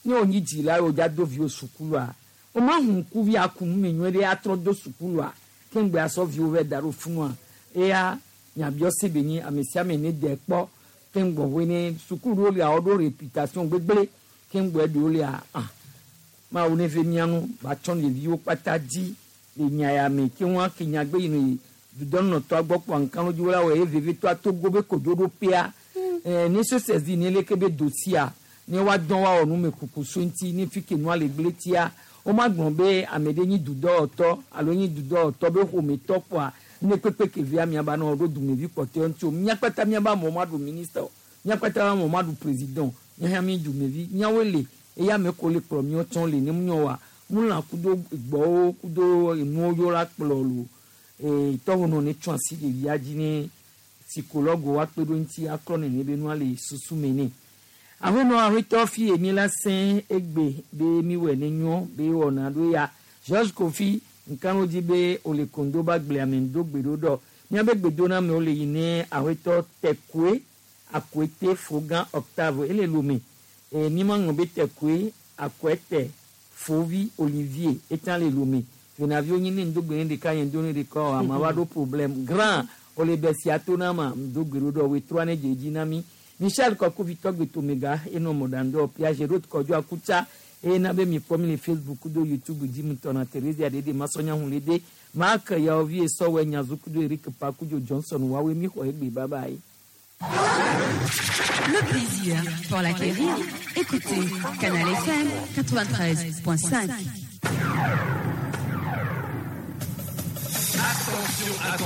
ne wonyi dzila ye wodza do viwo sukulua woma hu ŋkuvi aku nu me nyuie ɖe atrɔ do sukulua ke ŋgbe asɔ viwo vɛ da ɖo funua eya nyabiɔse be nyi ame sia ame ne de kpɔ ke ŋgbɔ hoe ne sukulu ɖewo lia woɖo réputation gbegblẽ ke ŋgbɔ eɖewo lia ah mawu ne ve mía ŋu va tsɔ ɖeviwo kpata dzi le nya ya me ke ŋua ke nyagbe yi ne dudɔnɔtɔa gbɔ kpɔ aŋkanodzi la wɔ ye vevitɔa togo be kodzoɖoƒea ɛɛ ne sosɛzi ne leke be dosia ne woadɔn woawɔ numekuku so ŋuti ne fi ke nua le gblẽ tia womagblɔ be ame ɖe nyi dudɔwɔtɔ alo nyi dudɔwɔtɔ be ƒometɔ kpɔa ne kpekpe ke via miaba nɔ ɖo dumevi kpɔtɔewo ŋuti o mía kpata miaba amewo maɖu ministre o mía kpata amewo maɖu président míaxa mi dumevi míawoe le eya ame ko le kplɔ míawo tsɔ le ne míawo wa mulã kudo gbɔwo kudo enuwo yɔ la kplɔ lo ee tɔwonɔ ne tsɔ asi ɖevia dzi ne psychologue woakpe ɖo ŋuti aklɔ nene be nua le susu me nɛ aƒenɔ aƒetɔ fi emi la sẽ egbe be miwɔe ne nyɔ be wɔna ɖo ya George Kofi nkanu dzi be wòle kondo ba gblea me ŋdo gbe ɖo ɖɔ míabe gbedoname le yi ne aƒetɔ Tɛkoe Akoete Fogan Octave ele Lome e mi ma ŋlɔ be Tɛkoe Akoete Fovi Olivier etsã le Lome venaviwo nyi ne ŋdo gbe ne ɖeka nye ŋdo ne ɖeka o ama va ɖo problème grand wòle be sia to na ma ŋdo gbe ɖo ɖɔ wetrɔa ne dze dzi na mi Michel Kɔkuvi tɔgbe tomega enɔ mɔɖaŋdɔ Piaget Road Kɔdzo Akutsa eye na be mikpɔ mi le Facebook kudo YouTube dzi mutɔ na Theresia ɖeɖe masɔnya hu le de Mark Yaovi esɔwɔ nyazu kudo Eric Pakudzo Johnson woawoe mi xɔ egbe bye bye. Le plaisir pour l'acquérir, écoutez Canal FM 93.5. Attention, attention.